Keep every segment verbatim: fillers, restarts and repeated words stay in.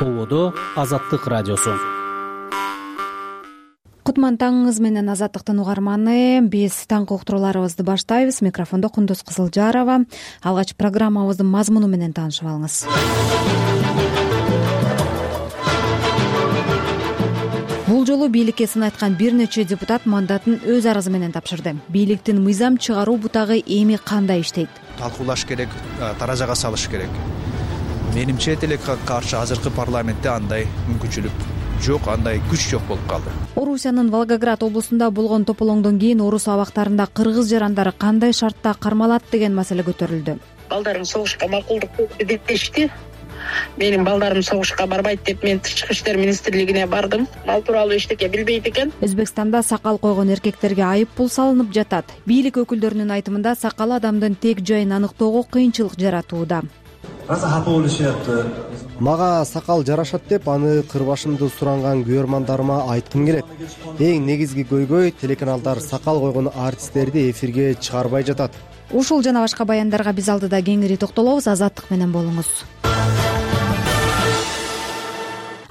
Ободо Азаттык радиосу. Кутман таңыңыз менен Азаттыктын угарманы. Биз таңкы уктурууларыбызды баштайбыз. Микрофондо Кундуз Кызылжарова. Алгач программабыздын мазмуну менен таанышып алыңыз. Бул жолу бийликке сын айткан бир нече депутат мандатын өз арызы менен тапшырды. Бийликтин мыйзам чыгаруу бутагы эми кандай иштейт? Талкуулаш керек, таражага салыш керек. Менимче тилекке каршы азыркы парламентте андай мүмкүнчүлүк жок, андай күч жок болуп калды. Орусиянын Волгоград облусунда болгон тополоңдон кийин орус абактарында кыргыз жарандары кандай шартта кармалат деген маселе көтөрүлдү. Балдарым согушка макулдук берди дешти. Менин балдарым согушка барбайт деп мен Тышкы иштер министрлигине бардым. Ал тууралуу эчтеке билбейт экен. Өзбекстанда сакал койгон эркектерге айып пул салынып жатат. Бийлик өкүлдөрүнүн айтымында сакал адамдын тек жайын аныктоого кыйынчылык жаратууда. Мага сакал жарашат деп аны кырбашымды суранган көрөрмандарыма айткым келет. Эң негизги көйгөй телеканалдар сакал койгон артисттерди эфирге чыгарбай жатат. Ушул жана башка баяндарга биз алдыда кеңири токтолобуз. Азаттык менен болуңуз.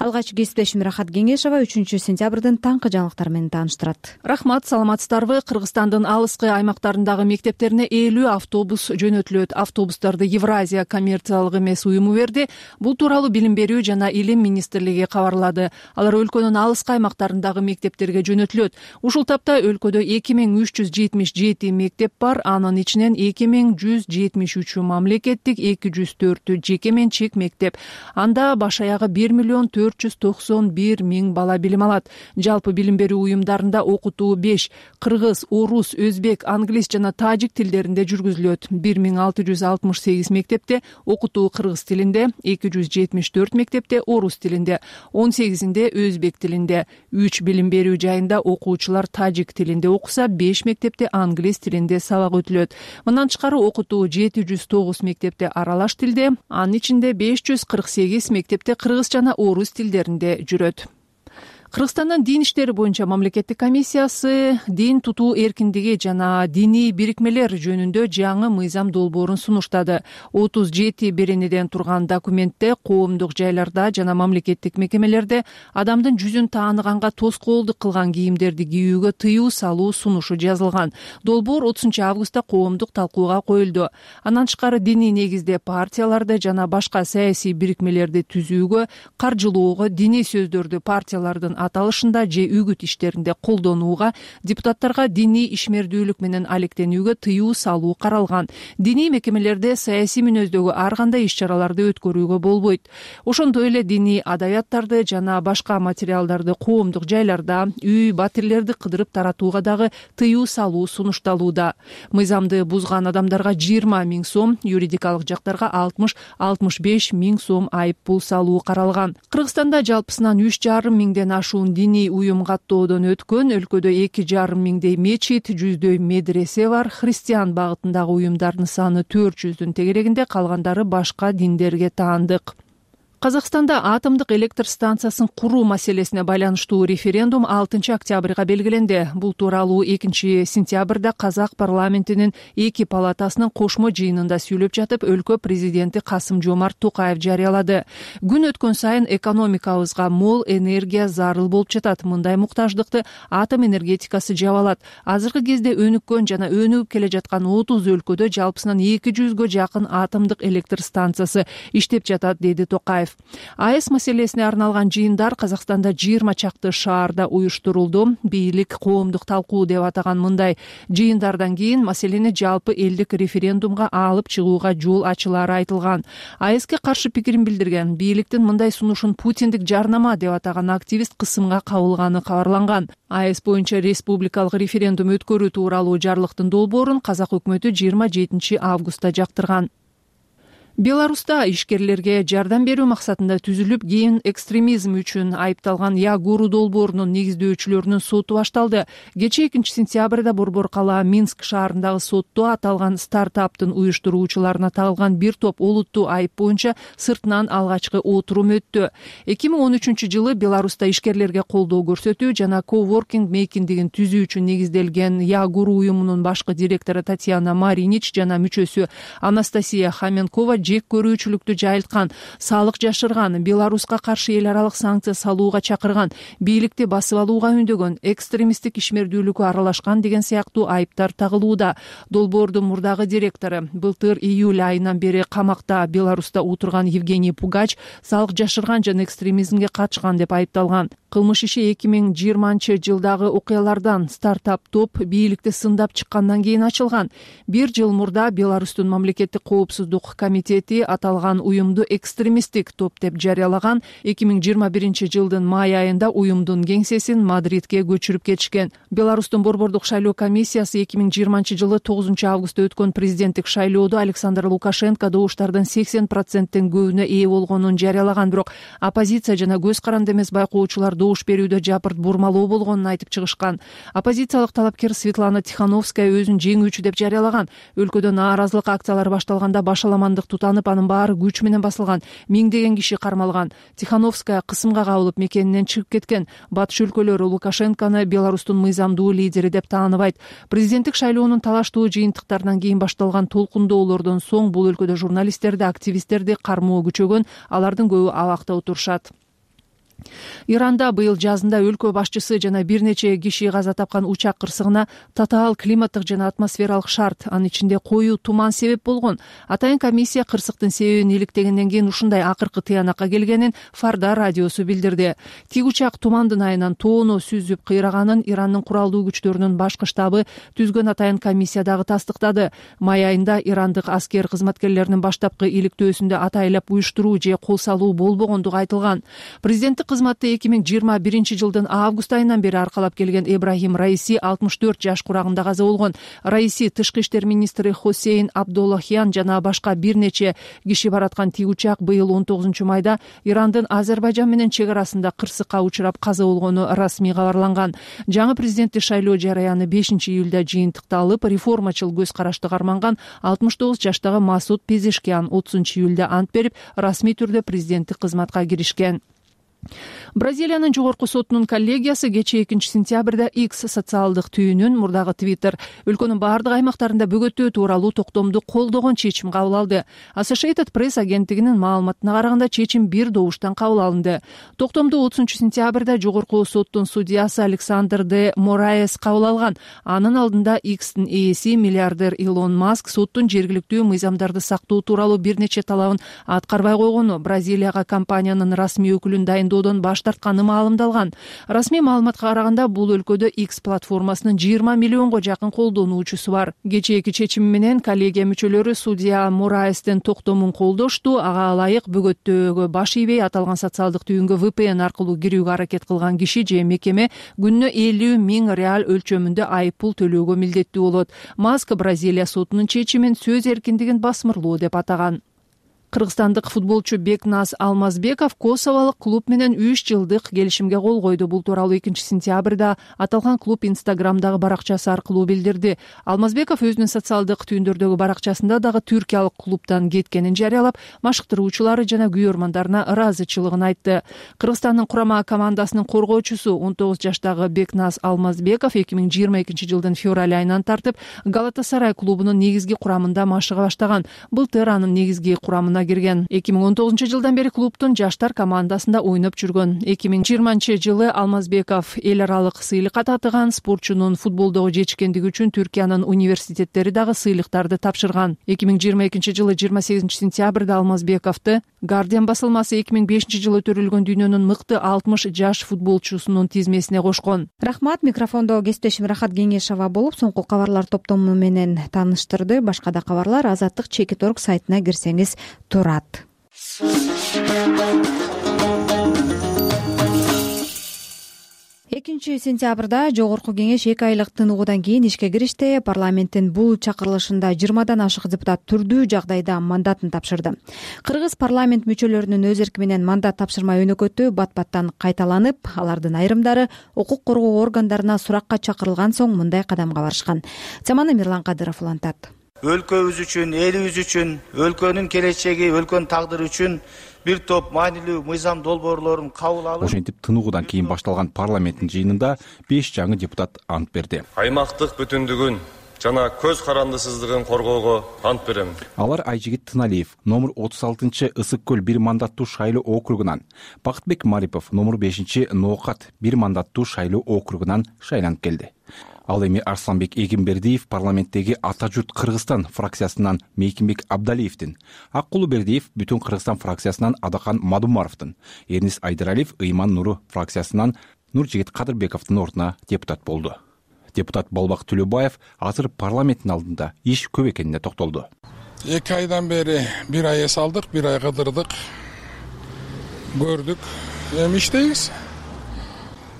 Алгач кесиптешим Рахат Кеңешова үчүнчү сентябрдын таңкы жаңылыктары менен тааныштырат. Рахмат, саламатсыздарбы? Кыргызстандын алыскы аймактарындагы мектептерине элүү автобус жөнөтүлөт. Автобустарды Евразия коммерциялык эмес уюму берди. Бул тууралуу Билим берүү жана Илим министрлиги кабарлады. Алар өлкөнүн алыскы аймактарындагы мектептерге жөнөтүлөт. Ушул тапта өлкөдө эки миң үч жүз жетимиш жети мектеп бар. Анын ичинен эки миң жүз жетимиш үчү мамлекеттик, эки жүз төртү жеке менчик мектеп. Анда баш аягы бир миллион төрт жүз токсон бир миң бала билим алат. Жалпы билим берүү уюмдарында окутуу беш кыргыз, орус, өзбек, англис жана тажик тилдеринде жүргүзүлөт. бир миң алты жүз алтымыш сегиз мектепте окутуу кыргыз тилинде, эки жүз жетимиш төрт мектепте орус тилинде, он сегизинде өзбек тилинде. үч билим берүү жайында окуучулар тажик тилинде окуса, беш мектепте англис тилинде сабак өтүлөт. Мындан тышкары окутуу жети жүз тогуз мектепте аралаш тилде, анын ичинде беш жүз кырк сегиз мектепте кыргыз жана орус тилдеринде жүрөт. Кыргызстандын дин иштери боюнча мамлекеттик комиссиясы дин тутуу эркиндиги жана диний бирикмелер жөнүндө жаңы мыйзам долбоорун сунуштады. отуз жети беренеден турган документте коомдук жайларда жана мамлекеттик мекемелерде адамдын жүзүн тааныганга тоскоолдук кылган кийимдерди кийүүгө тыюу салуу сунушу жазылган. Долбоор отузунчу августта коомдук талкууга коюлду. Андан тышкары диний негизде партияларды жана башка саясий бирикмелерди түзүүгө, каржылоого, диний сөздөрдү партиялардын аталышында же үгүт иштеринде колдонууга, депутаттарга диний ишмердүүлүк менен алектенүүгө тыюу салуу каралган. Диний мекемелерде саясий мүнөздөгү ар кандай иш-чараларды өткөрүүгө болбойт. Ошондой эле диний адабияттарды жана башка материалдарды коомдук жайларда, үй, батирлерди кыдырып таратууга дагы тыюу салуу сунушталууда. Мыйзамды бузган адамдарга жыйырма миң сом, юридикалык жактарга алтымыш алтымыш беш миң сом айып пул салуу каралган. Кыргызстанда жалпысынан үч жарым миңден ашуун диний уюм каттоодон өткөн. Өлкөдө эки жарым миңдей мечит, жүздөй медресе бар. Христиан багытындагы уюмдардын саны төрт жүздүн тегерегинде, калгандары башка диндерге таандык. Казакстанда атомдук электр станциясын куруу маселесине байланыштуу референдум алтынчы октябрга белгиленди. Бул тууралуу экинчи сентябрда казак парламентинин эки палатасынын кошмо жыйынында сүйлөп жатып, өлкө президенти Касым-Жомарт Токаев жарыялады. Күн өткөн сайын экономикабызга мол энергия зарыл болуп жатат. Мындай муктаждыкты атом энергетикасы жабалат. Азыркы кезде өнүккөн жана өнүгүп келе жаткан отуз өлкөдө жалпысынан эки жүзгө жакын атомдук электр станциясы иштеп жатат, деди Токаев. АЭС маселесине арналган жыйындар Казакстанда жыйырма чакты шаарда уюштурулду. Бийлик коомдук талкуу деп атаган мындай жыйындардан кийин маселени жалпы элдик референдумга алып чыгууга жол ачылары айтылган. АЭСке каршы пикирин билдирген бийликтин мындай сунушун Путиндик жарнама деп атаган активист кысымга кабылганы кабарланган. АЭС боюнча республикалык референдум өткөрүү тууралуу жарлыктын долбоорун казак өкмөтү жыйырма жетинчи августта жактырган. Беларуста ишкерлерге жардам берүү максатында түзүлүп, кийин экстремизм үчүн айыпталган Ягуру долбоорунун негиздөөчүлөрүнүн соту башталды. Кечээ экинчи сентябрда Борбор кала Минск шаарындагы сотто аталган стартаптын уюштуруучуларына тагылган бир топ олуттуу айып боюнча сыртынан алгачкы отурум өттү. эки миң он үчүнчү жылы Беларуста ишкерлерге колдоо көрсөтүү жана коворкинг мейкиндигин түзүү үчүн негизделген Ягуру уюмунун башкы директору Татьяна Маринич жана мүчөсү Анастасия Хоменкова жек көрүүчүлүктү жайылткан, салык жашырган, Беларуска каршы эл аралык санкция салууга чакырган, бийликти басып алууга үндөгөн, экстремисттик ишмердүүлүккө аралашкан деген сыяктуу айыптар тагылууда. Долбоордун мурдагы директору былтыр июль айынан бери камакта Беларуста отурган Евгений Пугач салык жашырган жана экстремизмге катышкан деп айыпталган. Кылмыш иши эки миң жыйырманчы жылдагы окуялардан стартап топ бийликти сындап чыккандан кийин ачылган. Бир жыл мурда Беларустун мамлекеттик коопсуздук комитети аталган уюмду экстремисттик топ деп жарыялаган. эки миң жыйырма биринчи жылдын май айында уюмдун кеңсесин Мадридке көчүрүп кетишкен. Беларустун борбордук шайлоо комиссиясы эки миң жыйырманчы жылы тогузунчу августта өткөн президенттик шайлоодо Александр Лукашенко добуштардын сексен проценттен көбүнө ээ болгонун жарыялаган, бирок оппозиция жана көз каранды эмес байкоочулар добуш берүүдө жапырт бурмалоо болгонун айтып чыгышкан. Оппозициялык талапкер Светлана Тихановская өзүн жеңүүчү деп жарыялаган. Өлкөдө нааразылык акциялары башталганда башаламандык тутанып, анын баары күч менен басылган. Миңдеген киши кармалган. Тихановская кысымга кабылып мекенинен чыгып кеткен. Батыш өлкөлөрү Лукашенкону Беларустун мыйзамдуу лидери деп тааныбайт. Президенттик шайлоонун талаштуу жыйынтыктарынан кийин башталган толкундоолордон соң бул өлкөдө журналисттерди, активисттерди кармоо күчөгөн, алардын көбү абакта отурушат. Иранда быйыл жазында өлкө башчысы жана бир нече киши каза тапкан учак кырсыгына татаал климаттык жана атмосфералык шарт, анын ичинде коюу туман себеп болгон. Атайын комиссия кырсыктын себебин иликтегенден кийин ушундай акыркы тыянакка келгенин Фарда радиосу билдирди. Тик учак тумандын айынан тоону сүзүп кыйраганын Ирандын куралдуу күчтөрүнүн башкы штабы түзгөн атайын комиссия дагы тастыктады. Май айында ирандык аскер кызматкерлеринин баштапкы иликтөөсүндө атайлап уюштуруу же кол салуу болбогондугу айтылган. Президенттик кызматты эки миң жыйырма биринчи жылдын август айынан бери аркалап келген Эбрахим Раиси алтымыш төрт жаш курагында каза болгон. Раиси тышкы иштер министри Хосейн Абдуллахян жана башка бир нече киши бараткан тик учак быйыл он тогузунчу майда Ирандын Азербайжан менен чек арасында кырсыкка учурап каза болгону расмий кабарланган. Жаңы президенттик шайлоо жарыяны бешинчи июлда жыйынтыкта алып, реформачыл көз карашты карманган алтымыш тогуз жаштагы Масуд Пезешкиян отузунчу июлда ант берип, расмий түрдө президенттик кызматка киришкен. Бразилиянын жогорку сотунун коллегиясы кечээ экинчи сентябрда X социалдык түйүнүн, мурдагы Twitter, өлкөнүн бардык аймактарында бөгөтөө тууралуу токтомду колдогон чечим кабыл алды. Associated Press агенттигинин маалыматына караганда чечим бир добуштан кабыл алынды. Токтомду отузунчу сентябрда жогорку соттун судьясы Александр де Мораес кабыл алган. Анын алдында X'тин ээси миллиардер Илон Маск соттун жергиликтүү мыйзамдарды сактоо тууралуу бир нече талабын аткарбай койгону Бразилияга компаниянын расмий өкүлүн дайындоодон баш тартканы маалымдалган. Расмий маалыматка караганда бул өлкөдө X платформасынын жыйырма миллионго жакын колдонуучусу бар. Кечээки чечим менен коллегия мүчөлөрү судья Мораестин токтомун колдошту. Ага ылайык бөгөттөөгө баш ийбей аталган социалдык түйүнгө ви пи эн аркылуу кирүүгө аракет кылган киши же мекеме күнүнө элүү миң реал өлчөмүндө айып пул төлөөгө милдеттүү болот. Маск Бразилия сотунун чечимин сөз эркиндигин басмырлоо деп атаган. Кыргызстандык футболчу Бекназ Алмазбеков Косоволук клуб менен үч жылдык келишимге кол койду. Бул тууралуу экинчи сентябрда аталган клуб Инстаграмдагы баракчасы аркылуу билдирди. Алмазбеков өзүнүн социалдык түйүндөрдөгү баракчасында дагы түркиялык клубтан кеткенин жарыялап, машыктыруучулары жана күйөрмандарына ыраазычылыгын айтты. Кыргызстандын курама командасынын коргоочусу он тогуз жаштагы Бекназ Алмазбеков эки миң жыйырма экинчи жылдын февраль айынан тартып Галатасарай клубунун негизги курамында машыга баштаган. Былтыр анын негизги курамына кирген. эки миң он тогузунчу жылдан бери клубтун жаштар командасында ойноп жүргөн. эки миң жыйырманчы жылы Алмазбеков эл аралык сыйлыкка татыган. Спортчунун футболдогу жетишкендиги үчүн Түркиянын университеттери дагы сыйлыктарды тапшырган. эки миң жыйырма экинчи жылы жыйырма сегизинчи сентябрда Алмазбековду Guardian басылмасы эки миң бешинчи жылы төрөлгөн дүйнөнүн мыкты алтымыш жаш футболчусунун тизмесине кошкон. Рахмат, микрофондо кесиптешим Рахат Кеңешова болуп, соңку кабарлар топтому менен тааныштырды. Башка да кабарлар Азаттык чекит орг сайтына кирсеңиз турат. экинчи сентябрда жогорку кеңеш эки айлык тыныгуудан кийин ишке киришти. Парламенттин бул чакырылышында жыйырмадан ашык депутат түрдүү жагдайда мандатын тапшырды. Кыргыз парламент мүчөлөрүнүн өз эрки менен мандат тапшырма өнөкөтү бат-баттан кайталанып, алардын айрымдары укук коргоо органдарына суракка чакырылган соң мындай кадамга барышкан. Теманы Мирлан Кадыров улантат. Өлкөбүз үчүн, элибиз үчүн, өлкөнүн келечеги, өлкөнүн тагдыры үчүн бир топ маанилүү мыйзам долбоорлорун кабыл алып, ошентип тыныгуудан кийин башталган парламенттин жыйынында беш жаңы депутат ант берди. Аймактык бүтүндүгүн, жана көз карандысыздыгын коргоого ант берем. Алар Айжигит Тыналиев номер отуз алтынчы Ысык көл бир мандаттуу шайлоо округунан, Бакытбек Марипов номер бешинчи Ноокат бир мандаттуу шайлоо округунан шайланып келди. Ал эми Арсланбек Эгембердиев парламенттеги Ата журт Кыргызстан фракциясынан Мейкимбек Абдалиевдин, Аккулу Бердиев Бүтүн Кыргызстан фракциясынан Адакан Мадумаровдун, Эрнис Айдаралиев Ыйман Нуру фракциясынан Нуржигит Кадырбековдун ордуна депутат болду. Депутат Болбак Төлөбаев азыр парламенттин алдында иш көп экенине токтолду. Эки айдан бери бир ай эс алдык, бир ай кыдырдык, көрдүк, эми иштейбиз.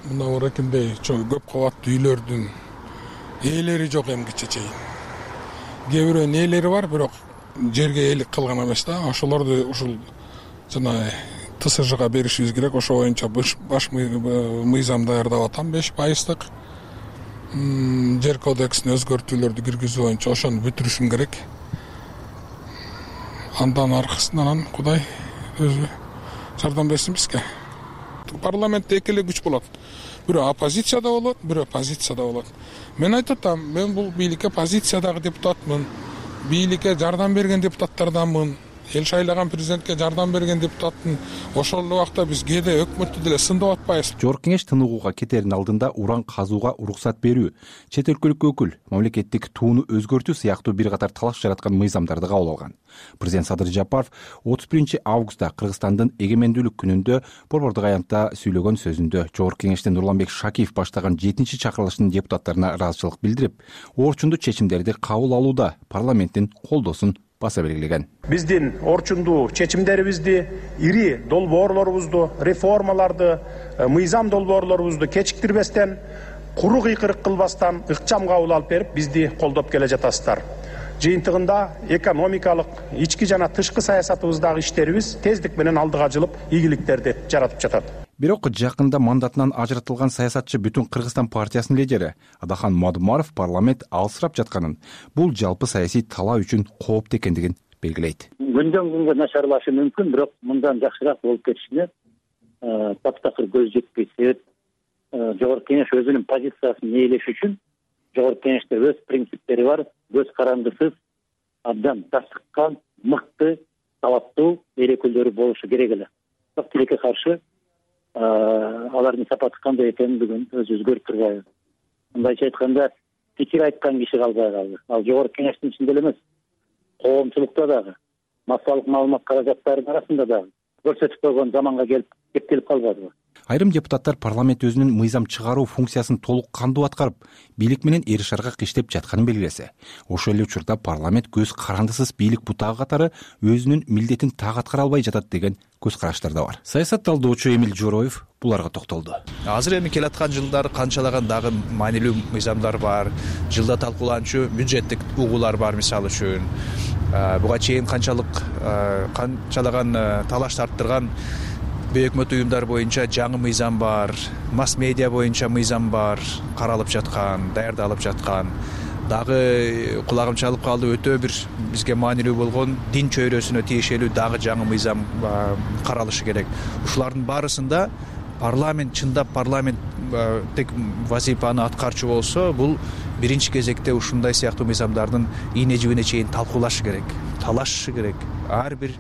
Мына оракындай чоң көп кабаттуу үйлөрдүн ээлери жок эмгиче чейин. Кээ бирөөнүн ээлери бар, бирок жерге ээлик кылган эмес да. Ошолорду ушул жана Т С Жга беришибиз керек. Ошо боюнча баш мыйзам даярдап атам, беш пайыздык. Жер кодексине өзгөртүүлөрдү киргизүү боюнча ошону бүтүрүшүм керек. Андан аркасынан Кудай өзү жардам берсин бизге. Парламентте эки эле күч болот. Бирөө оппозицияда болот, бирөө позицияда болот. Мен айтып атам, мен бул бийликке позициядагы депутатмын. Бийликке жардам берген депутаттарданмын. Эл шайлаган президентке жардам берген депутаттын. Ошол убакта биз кээде өкмөттү деле сындап атпайбыз. Жогорку кеңеш тыныгууга кетердин алдында уран казууга уруксат берүү, чет өлкөлүк өкүл, мамлекеттик тууну өзгөртүү сыяктуу бир катар талаш жараткан мыйзамдарды кабыл алган. Президент Садыр Жапаров отуз биринчи августта Кыргызстандын эгемендүүлүк күнүндө борбордук аянтта сүйлөгөн сөзүндө Жогорку кеңештен Нурланбек Шакиев баштаган жетинчи чакырылыштын депутаттарына ыраазычылык билдирип, орчундуу чечимдерди кабыл алууда парламенттин колдоосун баса белгилеген. Биздин орчундуу чечимдерибизди, ири долбоорлорубузду, реформаларды, мыйзам долбоорлорубузду кечиктирбестен, куру кыйкырык кылбастан ыкчам кабыл алып берип, бизди колдоп келе жатасыздар. Жыйынтыгында экономикалык, ички жана тышкы саясатыбыздагы иштерибиз тездик менен алдыга жылып, ийгиликтерди жаратып жатат. Бирок жакында мандатынан ажыратылган саясатчы Бүтүн Кыргызстан партиясынын лидери Адахан Мадумаров парламент алсырап жатканын, бул жалпы саясий талаа үчүн кооптуу экендигин белгилейт. Күндөн күнгө начарлашы мүмкүн, бирок мындан жакшыраак болуп кетишине таптакыр көз жетпей. Себеп Жогорку кеңеш өзүнүн позициясын ээлеш үчүн Жогорку кеңеште өз принциптери бар, көз карандысыз, абдан тасыккан, мыкты, талаптуу эл өкүлдөрү болушу керек эле. Бирок тилекке каршы алардын сапаты кандай экенин бүгүн өзүбүз көрүп турбайбыз. Мындайча айтканда, пикир айткан киши калбай калды. Ал Жогорку кеңештин ичинде эле эмес, коомчулукта дагы, массалык маалымат каражаттарынын арасында дагы көрсөтүп койгон заманга келип кептелип калбадыбы? Айрым депутаттар парламент өзүнүн мыйзам чыгаруу функциясын толук кандуу аткарып, бийлик менен эри шаргак иштеп жатканын белгилесе, ошол эле учурда парламент көз карандысыз бийлик бутагы катары өзүнүн милдетин так аткара албай жатат деген көз караштар да бар. Саясат талдоочу Эмил Жороев буларга токтолду. Азыр эми келаткан жылдар канчалаган дагы маанилүү мыйзамдар бар, жылда талкууланчу бюджеттик угуулар бар, мисалы үчүн. Буга чейин канчалык канчалаган талаш тарттырган өкмөт уюмдар боюнча жаңы мыйзам бар, масс медиа боюнча мыйзам бар, каралып жаткан, даярдалып жаткан. Дагы кулагым чалып калды, өтө бир бизге маанилүү болгон дин чөйрөсүнө тиешелүү дагы жаңы мыйзам каралышы керек. Ушулардын баарысында парламент чындап парламент тек вазифаны аткарчу болсо, бул биринчи кезекте ушундай сыяктуу мыйзамдардын ийне жибине чейин талкуулашы керек, талашышы керек. Ар бир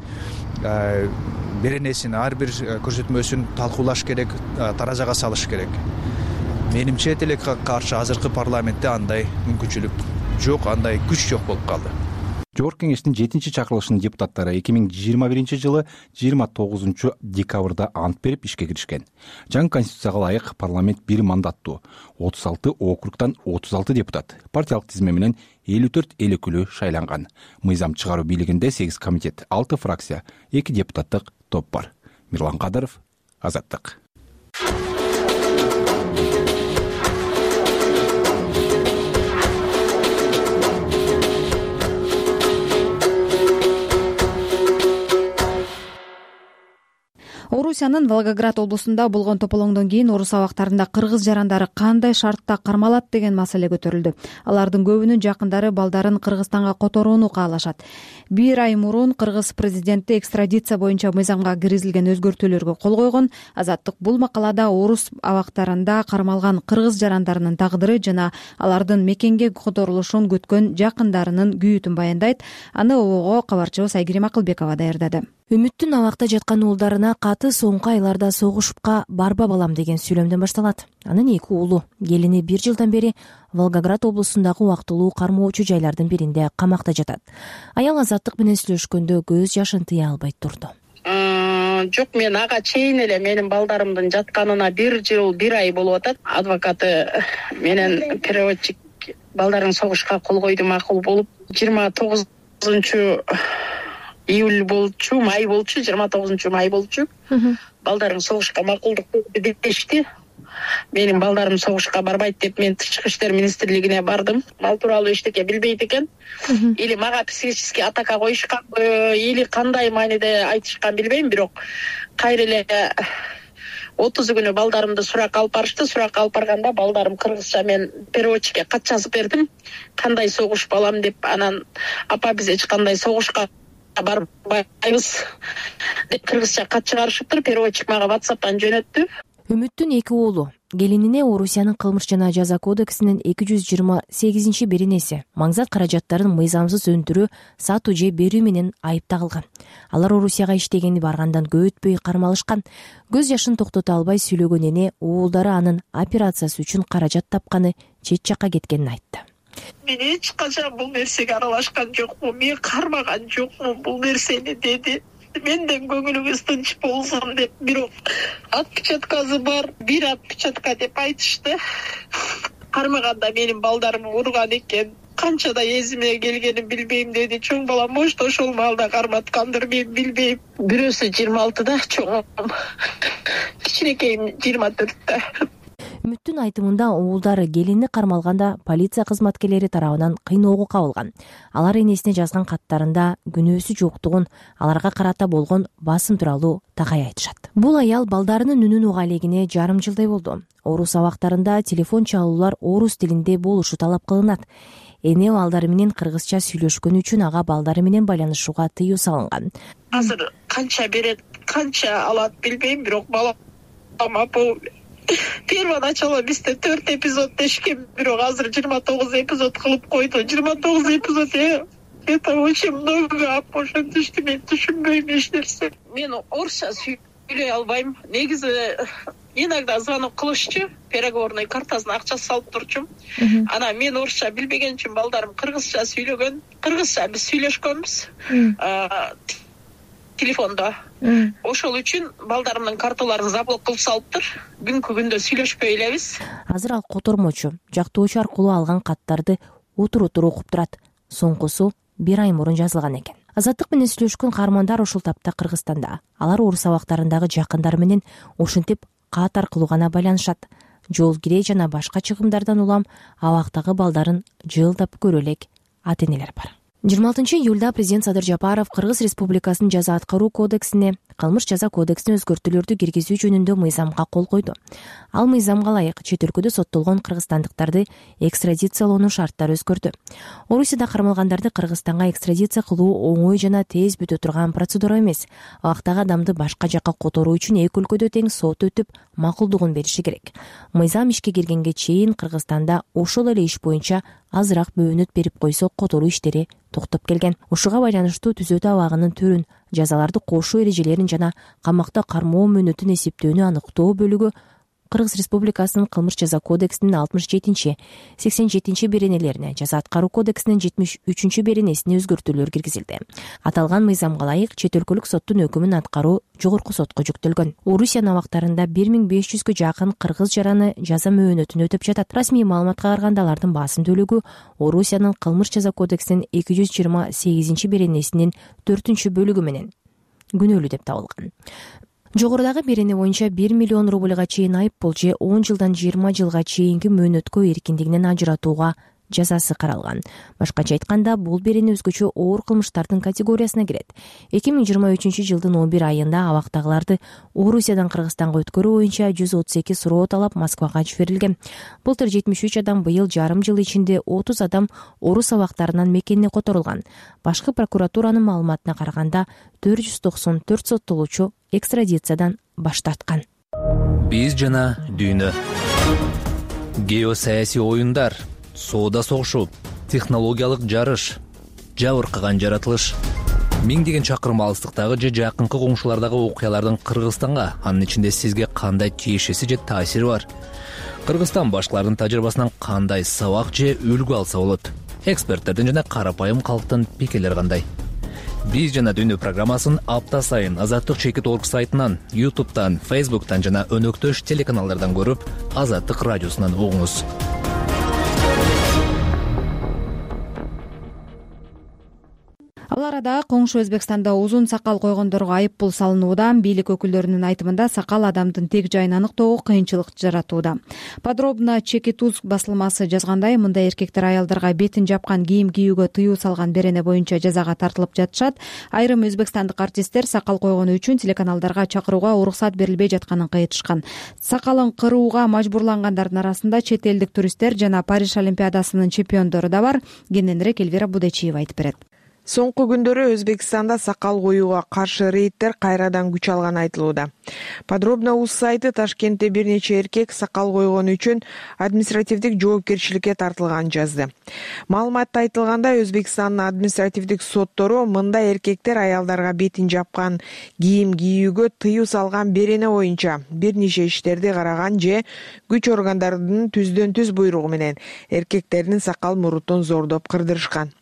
беренесин, ар бир көрсөтмөсүн талкуулаш керек, таразага салыш керек. Менимче тилекке каршы азыркы парламентте андай мүмкүнчүлүк жок, андай күч жок болуп калды. Жогорку кеңештин жетинчи чакырылышынын депутаттары эки миң жыйырма биринчи жылы жыйырма тогузунчу декабрда ант берип ишке киришкен. Жаңы конституцияга ылайык парламент бир мандаттуу, отуз алты округтан отуз алты депутат, партиялык тизме менен элүү төрт эл өкүлү шайланган. Мыйзам чыгаруу бийлигинде сегиз комитет, алты фракция, эки депутаттык топ бар. Мирлан Кадыров, Азаттык. Орусиянын Волгоград облусунда болгон тополоңдон кийин орус абактарында кыргыз жарандары кандай шартта кармалат деген маселе көтөрүлдү. Алардын көбүнүн жакындары балдарын Кыргызстанга которууну каалашат. Бир ай мурун кыргыз президенти экстрадиция боюнча мыйзамга киргизилген өзгөртүүлөргө кол койгон. Азаттык бул макалада орус абактарында кармалган кыргыз жарандарынын тагдыры жана алардын мекенге которулушун күткөн жакындарынын күйүтүн баяндайт. Аны ого кабарчыбыз Айгерим Акылбекова даярдады. Үмүттүн абакта жаткан уулдарына каты соңку айларда согушупка барба балам деген сүйлөмдөн башталат. Анын эки уулу, келини бир жылдан бери Волгоград облусундагы убактылуу кармоочу жайлардын биринде камакта жатат. Аял Азаттык менен сүйлөшкөндө көз жашын тыя албай турду. Жок, мен ага чейин эле менин балдарымдын жатканына бир жыл бир ай болуп атат. Адвокаты менен переводчик балдарын согушка кол койду, макул болуп, жыйырма тогузунчу июль болчу, май болчу, жыйырма тогузунчу май болчу. Балдарың согушка макулдук дешти. Менин балдарым согушка барбайт деп мен Тышкы иштер министрлигине бардым. Мал тууралуу эчтеке билбейт экен. Или мага психический атака коюшканбы, или кандай мааниде айтышкан билбейм, бирок кайра эле отузу күнү балдарымды суракка алып барышты. Суракка алып барганда балдарым кыргызча, мен переводчикке кат жазып бердим. Кандай согуш балам деп, анан апа биз эч кандай согушка барбайбыз деп кыргызча кат чыгарышыптыр. Переводчик мага WhatsApp'тан жөнөттү. Үмүттүн эки уулу, келинине Орусиянын кылмыш жана жаза кодексинин эки жүз жыйырма сегизинчи беренеси маңзат каражаттарын мыйзамсыз өндүрүү, сатуу же берүү менен айып тагылган. Алар Орусияга иштегени баргандан көп өтпөй кармалышкан. Көз жашын токтото албай сүйлөгөн эне уулдары анын операциясы үчүн каражат тапканы, чет жакка кеткенин айтты. Мен эч качан бул нерсеге аралашкан жокмун, мен кармаган жокмун бул нерсени деди. Менден көңүлүңүз тынч болсун деп, бирок отпечаткасы бар, бир отпечатка деп айтышты. Кармаганда менин балдарым урган экен. Канчада эзиме келгенин билбейм деди. Чоң балам может ошол маалда карматкандыр, мен билбейм. Бирөөсү жыйырма алтыда, чоңум кичинекейим жыйырма төрттө. Үмүттүн айтымында уулдары келини кармалганда полиция кызматкерлери тарабынан кыйноого кабылган. Алар энесине жазган каттарында күнөөсү жоктугун, аларга карата болгон басым тууралуу такай айтышат. Бул аял балдарынын үнүн уга элегине жарым жылдай болду. Орус абактарында телефон чалуулар орус тилинде болушу талап кылынат. Эне балдары менен кыргызча сүйлөшкөнү үчүн ага балдары менен байланышууга тыюу салынган. Азыр канча берет, канча алат билбейм, бирок балам бул первоначало бизде төрт эпизод дешкен, бирок азыр жыйырма тогуз эпизод кылып койду. жыйырма тогуз эпизод это очень много, ошентишти мен түшүнбөйм эч нерсе. Мен орусча сүйлөй албайм. Негизи иногда звонок кылышчу, переговорный картасына акча салып турчум. Анан мен орусча билбеген үчүн балдарым кыргызча сүйлөгөн. Кыргызча биз сүйлөшкөнбүз телефондо. Ошол үчүн балдарымдын карталарын заблок кылып салыптыр. Күнкү күндө сүйлөшпөй элебиз. Азыр ал котормочу, жактоочу аркылуу алган каттарды отур-отур окуп турат. Соңкусу бир ай мурун жазылган экен. Азаттык менен сүйлөшкөн каармандар ушул тапта Кыргызстанда. Алар орус абактарындагы жакындары менен ошентип кат аркылуу гана байланышат. Жол кирей жана башка чыгымдардан улам абактагы балдарын жылдап көрө элек ата-энелер бар. жыйырма алтынчы июлда президент Садыр Жапаров Кыргыз Республикасынын жаза аткаруу кодексине кылмыш жаза кодексине өзгөртүүлөрдү киргизүү жөнүндө мыйзамга кол койду. Ал мыйзамга ылайык чет өлкөдө соттолгон кыргызстандыктарды экстрадициялоонун шарттары өзгөрдү. Орусияда кармалгандарды Кыргызстанга экстрадиция кылуу оңой жана тез бүтө турган процедура эмес. Абактагы адамды башка жакка которуу үчүн эки өлкөдө тең сот өтүп, макулдугун бериши керек. Мыйзам ишке киргенге чейин Кыргызстанда ошол эле иш боюнча азыраак бөөнөт берип койсо которуу иштери токтоп келген. Ушуга байланыштуу түзөтүү абагынын түрүн, жазаларды кошуу эрежелерин жана камакта кармоо мөөнөтүн эсептөөнү аныктоо бөлүгү Кыргыз Республикасынын кылмыш жаза кодексинин алтымыш жетинчи, сексен жетинчи беренелерине, жаза аткаруу кодексинин жетимиш үчүнчү беренесине өзгөртүүлөр киргизилди. Аталган мыйзамга ылайык чет өлкөлүк соттун өкүмүн аткаруу жогорку сотко жүктөлгөн. Орусиянын абактарында бир миң беш жүзгө жакын кыргыз жараны жаза мөөнөтүн өтөп жатат. Расмий маалыматка караганда алардын басым бөлүгү Орусиянын кылмыш жаза кодексинин эки жүз жыйырма сегизинчи беренесинин төртүнчү бөлүгү менен күнөөлүү деп табылган. Жогорудагы берене боюнча бир миллион рубльга чейин айып пул же он жылдан жыйырма жылга чейинки мөөнөткө эркиндигинен ажыратууга жазасы каралган. Башкача айтканда, бул берене өзгөчө оор кылмыштардын категориясына кирет. эки миң жыйырма үчүнчү жылдын он бир айында абактагыларды Орусиядан Кыргызстанга өткөрүү боюнча жүз отуз эки суроо талап Москвага жиберилген. Былтыр жетимиш үч адам, быйыл жарым жыл ичинде отуз адам орус абактарынан мекенине которулган. Башкы прокуратуранын маалыматына караганда, төрт жүз токсон төрт соттолуучу экстрадициядан баш тарткан. Биз жана дүйнө. Геосаясий оюндар, соода согушу, технологиялык жарыш, жабыркаган жаратылыш. Миңдеген чакырым алыстыктагы же жакынкы коңшулардагы окуялардын Кыргызстанга, анын ичинде сизге кандай тиешеси же таасири бар? Кыргызстан башкалардын тажрыйбасынан кандай сабак же үлгү алса болот? Эксперттердин жана карапайым калктын пикирлери кандай? Биз жана дүйнө программасын апта сайын Азаттык чекит точка орг сайтынан, ютубтан, фейсбуктан жана өнөктөш телеканалдардан көрүп, Азаттык радиосунан угуңуз. Ал арада коңшу Өзбекстанда узун сакал койгондорго айып пул салынууда. Бийлик өкүлдөрүнүн айтымында, сакал адамдын тег жайын аныктоого кыйынчылык жаратууда. Подробно Чекит уз басылмасы жазгандай, мындай эркектер аялдарга бетин жапкан кийим кийүүгө тыюу салган берене боюнча жазага тартылып жатышат. Айрым өзбекстандык артисттер сакал койгону үчүн телеканалдарга чакырууга уруксат берилбей жатканын кайтышкан. Сакалын кырууга мажбурлангандардын арасында чет элдик туристтер жана Париж олимпиадасынын чемпиондору да бар. Кененирээк Элвира Будечиева айтып берет. Соңку күндөрү Өзбекстанда сакал коюуга каршы рейдтер кайрадан күч алганы айтылууда. Подробно уз сайты Ташкентте бир нече эркек сакал койгону үчүн административдик жоопкерчиликке тартылганын жазды. Маалыматта айтылгандай, Өзбекстандын административдик соттору мындай эркектер аялдарга бетин жапкан кийим кийүүгө тыюу салган берене боюнча бир нече иштерди караган же күч органдарынын түздөн түз буйругу менен эркектердин сакал мурутун зордоп кырдырышкан.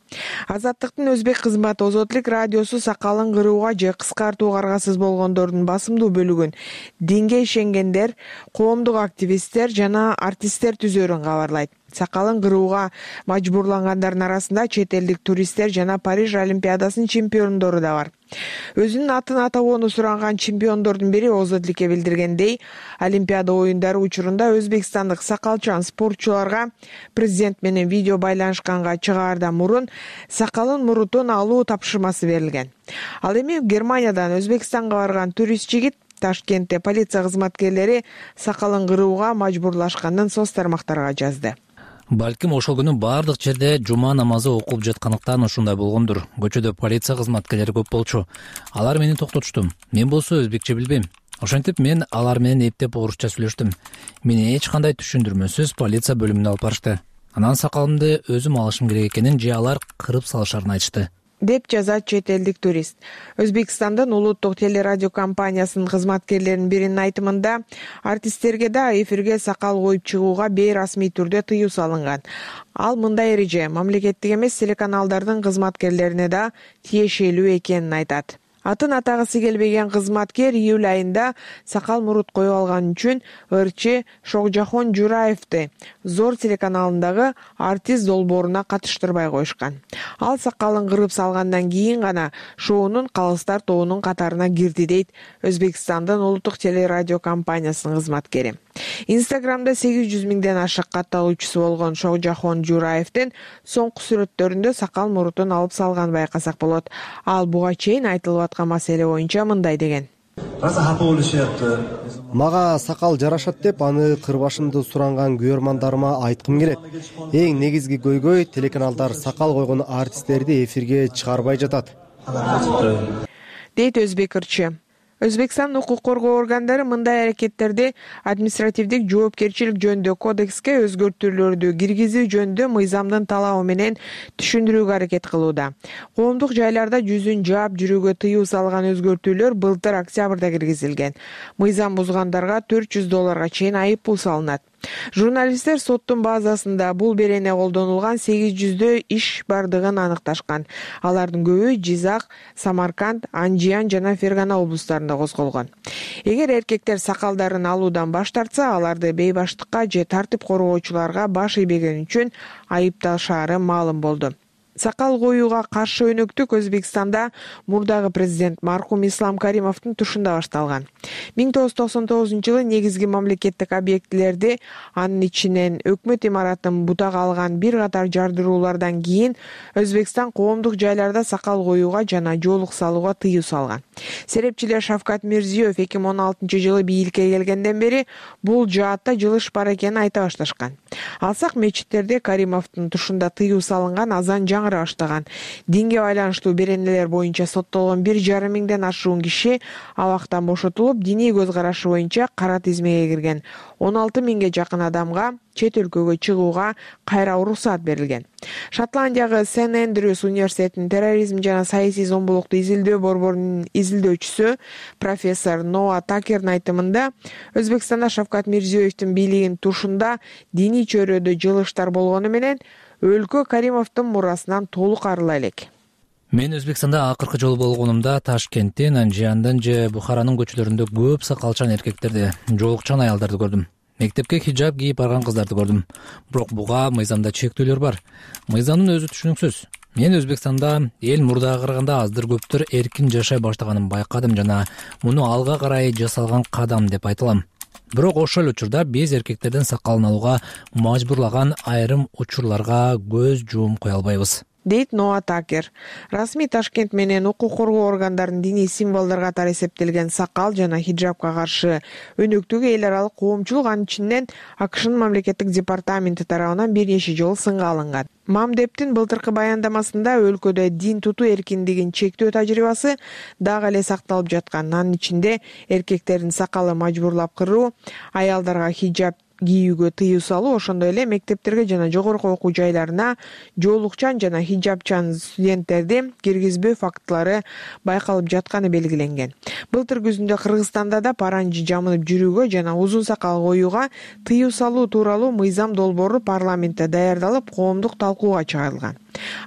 Азаттыктын өзбек кызматы Озотлук радиосу сакалын кырууга же кыскартууга аргасыз болгондордун басымдуу бөлүгүн динге ишенгендер, коомдук активисттер жана артисттер түзөрүн кабарлайт. Сакалын кырууга мажбурлангандардын арасында чет элдик туристтер жана Париж олимпиадасынын чемпиондору да бар. Өзүнүн атын атагоону суранган чемпиондордун бири Озотлукке билдиргендей, олимпиада оюндары учурунда өзбекстандык сакалчан спортчуларга президент менен видео байланышканга чыгаардан мурун сакалын мурутун алуу тапшырмасы берилген. Ал эми Германиядан Өзбекстанга барган турист жигит Ташкентте полиция кызматкерлери сакалын кырууга мажбурлашканын соц тармактарга жазды. Балким ошол күнү баардык жерде жума намазы окулуп жаткандыктан ушундай болгондур. Көчөдө полиция кызматкерлери көп болчу. Алар мени токтотушту. Мен болсо өзбекче билбейм. Ошентип мен алар менен эптеп орусча сүйлөштүм. Мени эч кандай түшүндүрмөсүз полиция бөлүмүнө алып барышты. Анан сакалымды өзүм алышым керек экенин же алар кырып салышарын айтышты, деп жазат чет элдик турист. Өзбекстандын улуттук телерадио компаниясынын кызматкерлеринин биринин айтымында, артисттерге да эфирге сакал коюп чыгууга бейрасмий түрдө тыюу салынган. Ал мындай эреже мамлекеттик эмес телеканалдардын кызматкерлерине да тиешелүү экенин айтат. Атын атагысы келбеген кызматкер июль айында сакал мурут коюп алган үчүн ырчы Шогжахон Жураевди Зор телеканалындагы артист долбооруна катыштырбай коюшкан. Ал сакалын кырып салгандан кийин гана шоунун калыстар тобунун катарына кирди, дейт Өзбекстандын улуттук телерадио компаниясынын кызматкери. Инстаграмда сегиз жүз миңден ашык катталуучусу болгон Шогжахон Жураевдин соңку сүрөттөрүндө сакал мурутун алып салганын байкасак болот. Ал буга чейин айтылып аткан маселе боюнча мындай деген. Мага сакал жарашат деп аны кырбашымды суранган күйөрмандарыма айткым келет. Эң негизги көйгөй телеканалдар сакал койгон артисттерди эфирге чыгарбай жатат, дейт өзбек ырчы. Өзбекстан укук коргоо органдары мындай аракеттерди административдик жоопкерчилик жөнүндө кодекске өзгөртүүлөрдү киргизүү жөнүндө мыйзамдын талабы менен түшүндүрүүгө аракет кылууда. Коомдук жайларда жүзүн жаап жүрүүгө тыюу салган өзгөртүүлөр былтыр октябрда киргизилген. Мыйзам бузгандарга төрт жүз долларга чейин айып пул салынат. Журналисттер соттун базасында бул берене колдонулган сегиз жүздөй иш бардыгын аныкташкан. Алардын көбү Жизак, Самарканд, Анжиян жана Фергана облустарында козголгон. Эгер эркектер сакалдарын алуудан баш тартса, аларды бейбаштыкка же тартип коргоочуларга баш ийбегени үчүн айыпташаары маалым болду. Сакал коюуга каршы өнөктүк Өзбекстанда мурдагы президент маркум Ислам Каримовдун тушунда башталган. миң тогуз жүз токсон тогузунчу жылы негизги мамлекеттик объектилерди, анын ичинен өкмөт имаратын бутага алган бир катар жардыруулардан кийин Өзбекстан коомдук жайларда сакал коюуга жана жоолук салууга тыюу салган. Серепчилер Шавкат Мирзиёев эки миң он алтынчы жылы бийликке келгенден бери бул жаатта жылыш бар экенин айта башташкан. Алсак мечиттерде Каримовдун тушунда тыюу салынган, азан жаңыра баштаган. Динге байланыштуу беренелер боюнча соттолгон бир жарым миңден ашуун киши абактан бошотулуп, диний көз карашы боюнча кара тизмеге кирген. он алты миңге жакын адамга чет өлкөгө чыгууга кайра уруксаат берилген. Шотландиягы Сент Эндрюс университетинин терроризм жана саясий зомбулукту изилдөө борборунун изилдөөчүсү профессор Ноа Такердин айтымында, Өзбекстанда Шавкат Мирзиёевдин бийлигинин тушунда диний чөйрөдө жылыштар болгону менен өлкө Каримовдун мурасынан толук арыла элек. Мен Өзбекстанда акыркы жолу болгонумда Ташкенттин, Анжияндан же Бухаранын көчөлөрүндө көп сакалчан эркектерди, жоолукчан аялдарды көрдүм. Мектепке хиджаб кийип барган кыздарды көрдүм. Бирок буга мыйзамда чектөөлөр бар. Мыйзамдын өзү түшүнүксүз. Мен Өзбекстанда эл мурдага караганда аздыр көптүр эркин жашай баштаганын байкадым жана муну алга карай жасалган кадам деп айта алам. Бирок ошол эле учурда биз эркектердин сакалын алууга мажбурлаган айрым учурларга көз жуум кое албайбыз, дейт Ноа Такер. Расмий Ташкент менен укук коргоо органдарынын диний символдор катары эсептелген сакал жана хиджабка каршы өнөктүгү эл аралык коомчулук анын ичинен АКШнын мамлекеттик департаменти тарабынан бир нече жолу сынга алынган. Мамдептин былтыркы баяндамасында өлкөдө дин тутуу эркиндигин чектөө тажрыйбасы дагы эле сакталып жаткан. Анын ичинде эркектердин сакалы мажбурлап кыруу, аялдарга хиджаб кийүүгө тыюу салуу, ошондой эле мектептерге жана жогорку окуу жайларына жоолукчан жана хиджабчан студенттерди киргизбөө фактылары байкалып жатканы белгиленген. Былтыр күзүндө Кыргызстанда да паранжы жамынып жүрүүгө жана узун сакал коюуга тыюу салуу тууралуу мыйзам долбоору парламентте даярдалып, коомдук талкууга чыгарылган.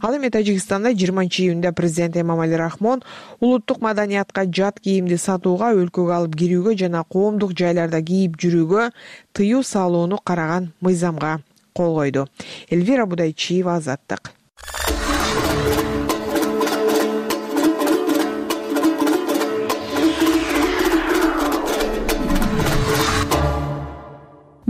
Ал эми Тажикстанда жыйырманчы июнда президент Эмомали Рахмон улуттук маданиятка жат кийимди сатууга, өлкөгө алып кирүүгө жана коомдук жайларда кийип жүрүүгө тыюу салууну караган мыйзамга кол койду. Элвира Будайчиева, Азаттык.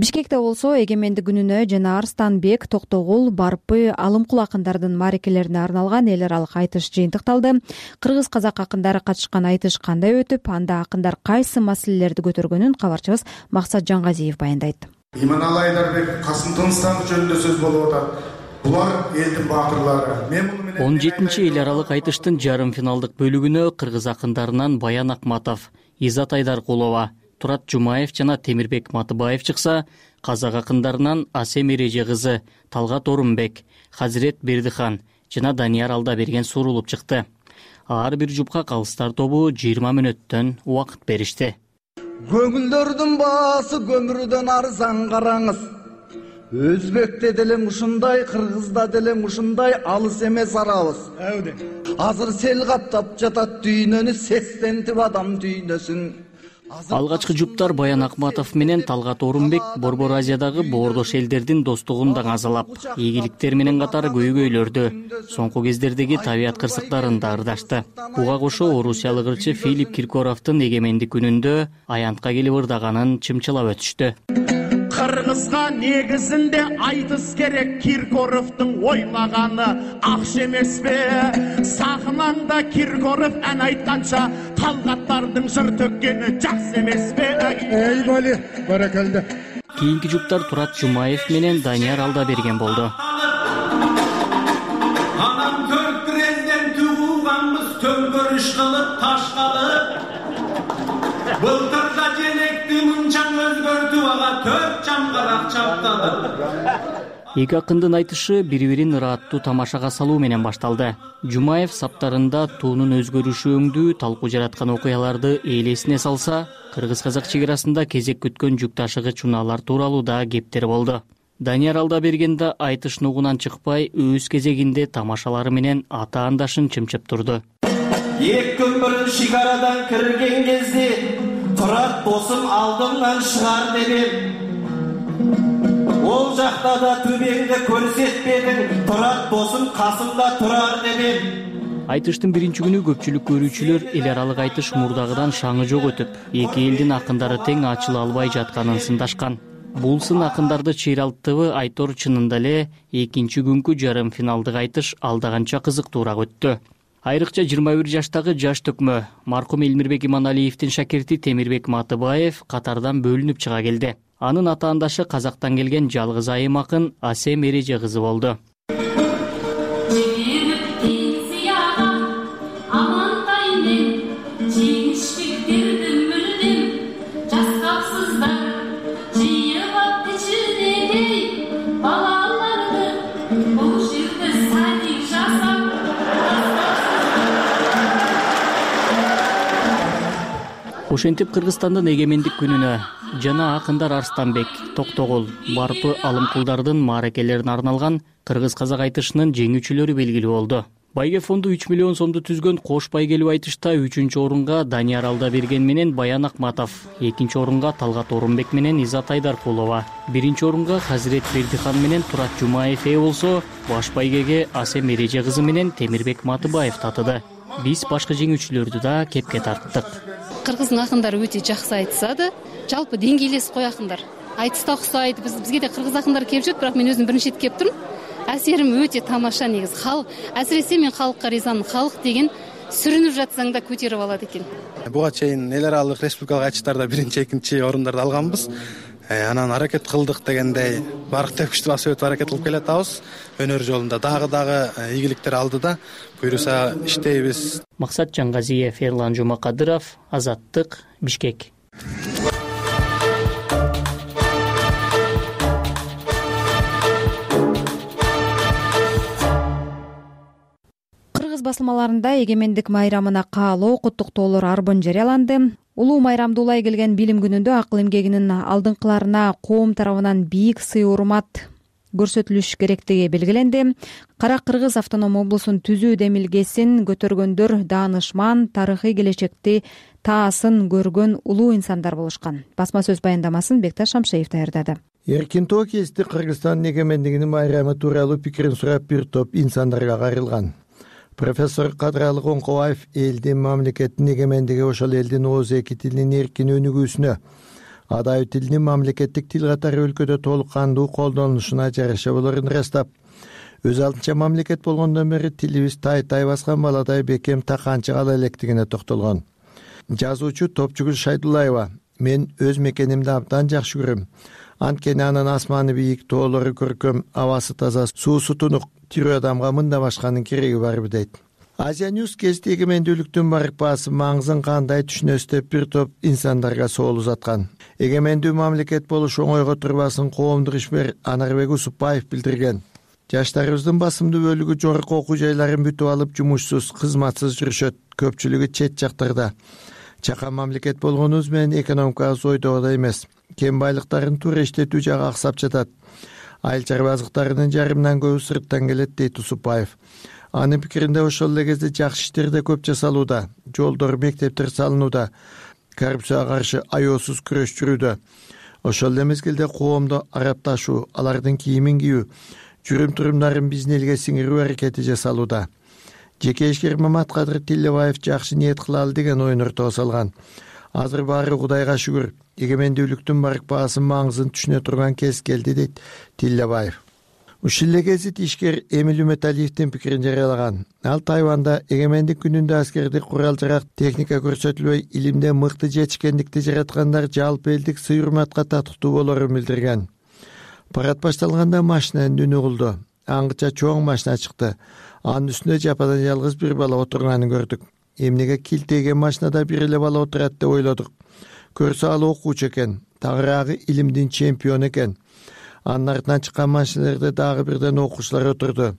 Бишкекте болсо эгемендик күнүнө жана Арстанбек, Токтогул, Барпы, Алымкул акындардын маарекелерине арналган эл аралык айтыш жыйынтыкталды. Кыргыз-казак акындары катышкан айтыш кандай өтүп, анда акындар кайсы маселелерди көтөргөнүн кабарчыбыз Максат Жангазиев баяндайт. Иманалы Айдарбек, Касым Тыныстамов жөнүндө сөз болуп атат. Булар элдин баатырлары. Мен муну менен он жетинчи эл аралык айтыштын жарым финалдык бөлүгүнө кыргыз акындарынан Баян Акматов, Изат Айдаркулова, Турат Жумаев жана Темирбек Матыбаев чыкса, казак акындарынан Асем Эреже кызы, Талгат Орунбек, Хазирет Бердихан жана Данияр Алдаберген сурулуп чыкты. Ар бир жупка калыстар тобу жыйырма мүнөттөн убакыт беришти. Көңүлдөрдүн баасы көмүрдөн арзан караңыз. Өзбекте деле ушундай, Кыргызда деле ушундай алыс эмес арабыз. Азыр сел каптап жатат дүйнөнү, сестентип адам дүйнөсүн. Алгачкы жуптар Баян Акматов менен Талгат Орунбек Борбор Азиядагы боордош элдердин достугун даңазалап, ийгиликтер менен катары көйгөйлөрдү, соңку кездердеги табият кырсыктарын да ырдашты. Буга кошо орусиялык ырчы Филипп Киркоровдун эгемендик күнүндө аянтка келип ырдаганын чымчылап өтүштү. Кыргызга негизинде айтыс керек, Киркоровдун ойлаганы акча эмеспи? Сахнанда Киркоров ан айтканча, Талгаттардын жыр төккени жакшы эмеспи? Эй бали, баракалда. Кийинки жуптар Турат Жумаев менен Данияр Алдаберген болду. Анан төрт президент угулганбыз, төңкөрүш кылып, ташкалып. Былтырда женекти мынчаң өзгөртүп, ага төрт чамгарак чаптады. Эки акындын айтышы бири-бирин ырааттуу тамашага салуу менен башталды. Жумаев саптарында туунун өзгөрүшү өңдүү талкуу жараткан окуяларды элесине салса, кыргыз-казак чек арасында кезек күткөн жүк ташыгыч унаалар тууралуу да кептер болду. Данияр Алдаберген да айтыш нугунан чыкпай, өз кезегинде тамашалары менен ата андашын чымчып турду. Эки көпүрүн шигарадан кирген кезде Турат досум алдымдан шығар дедім. Ол жакта да түбеңди көрсөтпедиң, турат досуң касымда турар дедим. Айтыштын биринчи күнү көпчүлүк көрүүчүлөр эл аралык айтыш мурдагыдан шаңы жок өтүп, эки элдин акындары тең ачыла албай жатканын сындашкан. Бул сын акындарды чыйралтыбы Айтор чынында эле экинчи күнкү жарым финалдык айтыш алдаганча кызыктуураак өттү. Айрыкча жыйырма бир жаштагы жаш төкмө маркум Элмирбек Иманалиевдин шакирти Темирбек Матыбаев катардан бөлүнүп чыга келди. Анын атаандашы Казактан келген жалгыз айым акын Асем Эреже кызы болду. Ошентип Кыргызстандын эгемендик күнүнө жана акындар Арстанбек, Токтогул, Барпы Алымкулдардын мааракелерине арналган кыргыз-казак айтышынын жеңүүчүлөрү белгилүү болду. Байге фонду үч миллион сомду түзгөн кош байгелүү айтышта үчүнчү орунга Данияр Алдаберген менен Баян Акматов, экинчи орунга Талгат Орунбек менен Изат Айдаркулова, биринчи орунга Хазирет Бердихан менен Турат Жумаев ээ болсо, баш байгеге Асем Эреже кызы менен Темирбек Матыбаев татыды. Биз башка жеңүүчүлөрдү да кепке тарттык. Кыргыздын акындары өтө жакшы айтышады. Жалпы деңгейлес кой акындар. Айтышта оксойт. Биз бизге да кыргыз акындар келип жүрөт, бирок мен өзүм биринчи рет келип турмун. Әсерим өтө тамаша негизи. Халык, әсиресе мен халыкка ризамын. Халык деген сүрүнүп жатсаң да көтөрүп алат экен. Буга чейин эл аралык республикалык айтыштарда биринчи, экинчи орундарды алганбыз. Анан аракет кылдык дегендей барк тепкичти басып өтүп аракет кылып келатабыз. Өнөр жолунда дагы дагы ийгиликтер алдыда. Буйруса иштейбиз. Максат Жангазиев, Эрлан Жумакадыров, Азаттык, Бишкек. Кыргыз басылмаларында эгемендик майрамына каалоо куттуктоолор арбын жарыяланды. Улуу майрамды улай келген билим күнүндө акыл эмгегинин алдыңкыларына коом тарабынан бийик сый урмат көрсөтүлүш керектиги белгиленди. Кара Кыргыз автоном облусун түзүү демилгесин көтөргөндөр даанышман, тарыхый келечекти таасын көргөн улуу инсандар болушкан. Басма сөз баяндамасын Бекташ Шамшеев даярдады. Эркин тоо кести Кыргызстандын эгемендигинин майрамы тууралуу пикирин сурап бир топ инсандарга кайрылган. Профессор Кадралы Коңкобаев элдин, мамлекеттин эгемендиги ошол элдин ооз эки тилинин эркин өнүгүүсүнө, адайы тилинин мамлекеттик тил катары өлкөдө толук кандуу колдонулушуна жараша болорун ырастап, өз алдынча мамлекет болгондон бери тилибиз тай-тай баскан баладай бекем таканчы кала электигине токтолгон. Жазуучу Топчугүл Шайдуллаева: мен өз мекенимди абдан жакшы көрөм. Анткени анын асманы бийик, тоолору көркөм, абасы таза, суусу тунук, тирүү адамга мындан башканын кереги барбы дейт. Азия Ньюс кести эгемендүүлүктүн барк баасы маңызын кандай түшүнөсүз деп бир топ инсандарга соол узаткан. Эгемендүү мамлекет болуш оңойго турбасын коомдук ишмер Анарбек Усупбаев билдирген. Жаштарыбыздын басымдуу бөлүгү жогорку окуу жайларын бүтүп алып жумушсуз, кызматсыз жүрүшөт, көпчүлүгү чет жактарда. Чакан мамлекет болгонубуз менен экономикабыз ойдогудай эмес. Кем байлыктарын туура иштетүү жагы аксап жатат. Айыл чарбазыктарынын жарымынан көбү сырттан келет дейт Усупбаев. Анын пикиринде ошол эле кезде жакшы иштер да көп жасалууда. Жолдор, мектептер салынууда. Коррупцияга каршы аеосуз күрөш жүрүүдө. Ошол эле мезгилде коомдо арапташуу, алардын кийимин кийүү, жүрүм-турумдарын биздин элге сиңирүү аракети жасалууда. Жеке ишкер Маматкадыр Тилебаев жакшы ниет кылалы деген оюн ортого салган. Азыр баары Кудайга шүгүр, эгемендүүлүктүн барк баасын маңызын түшүнө турган кез келди дейт Тилебаев. Ушул эле гезит ишкер Эмил Үмөталиевдин пикирин жарыялаган. Ал Тайванда эгемендик күнүндө аскердик курал-жарак, техника көрсөтүлбөй илимде мыкты жетишкендикти жараткандар жалпы элдик сый урматка татыктуу болорун билдирген. Парад башталганда машинанын үнү угулду. Аңгыча чоң машина чыкты. Анын үстүндө жападан жалгыз бир бала отурганын көрдүк. Эмнеге килтейген машинада бир эле бала отурат деп ойлодук. Көрсө ал окуучу экен, тагыраагы илимдин чемпиону экен. Анын артынан чыккан машинелерде дагы бирден окуучулар отурду.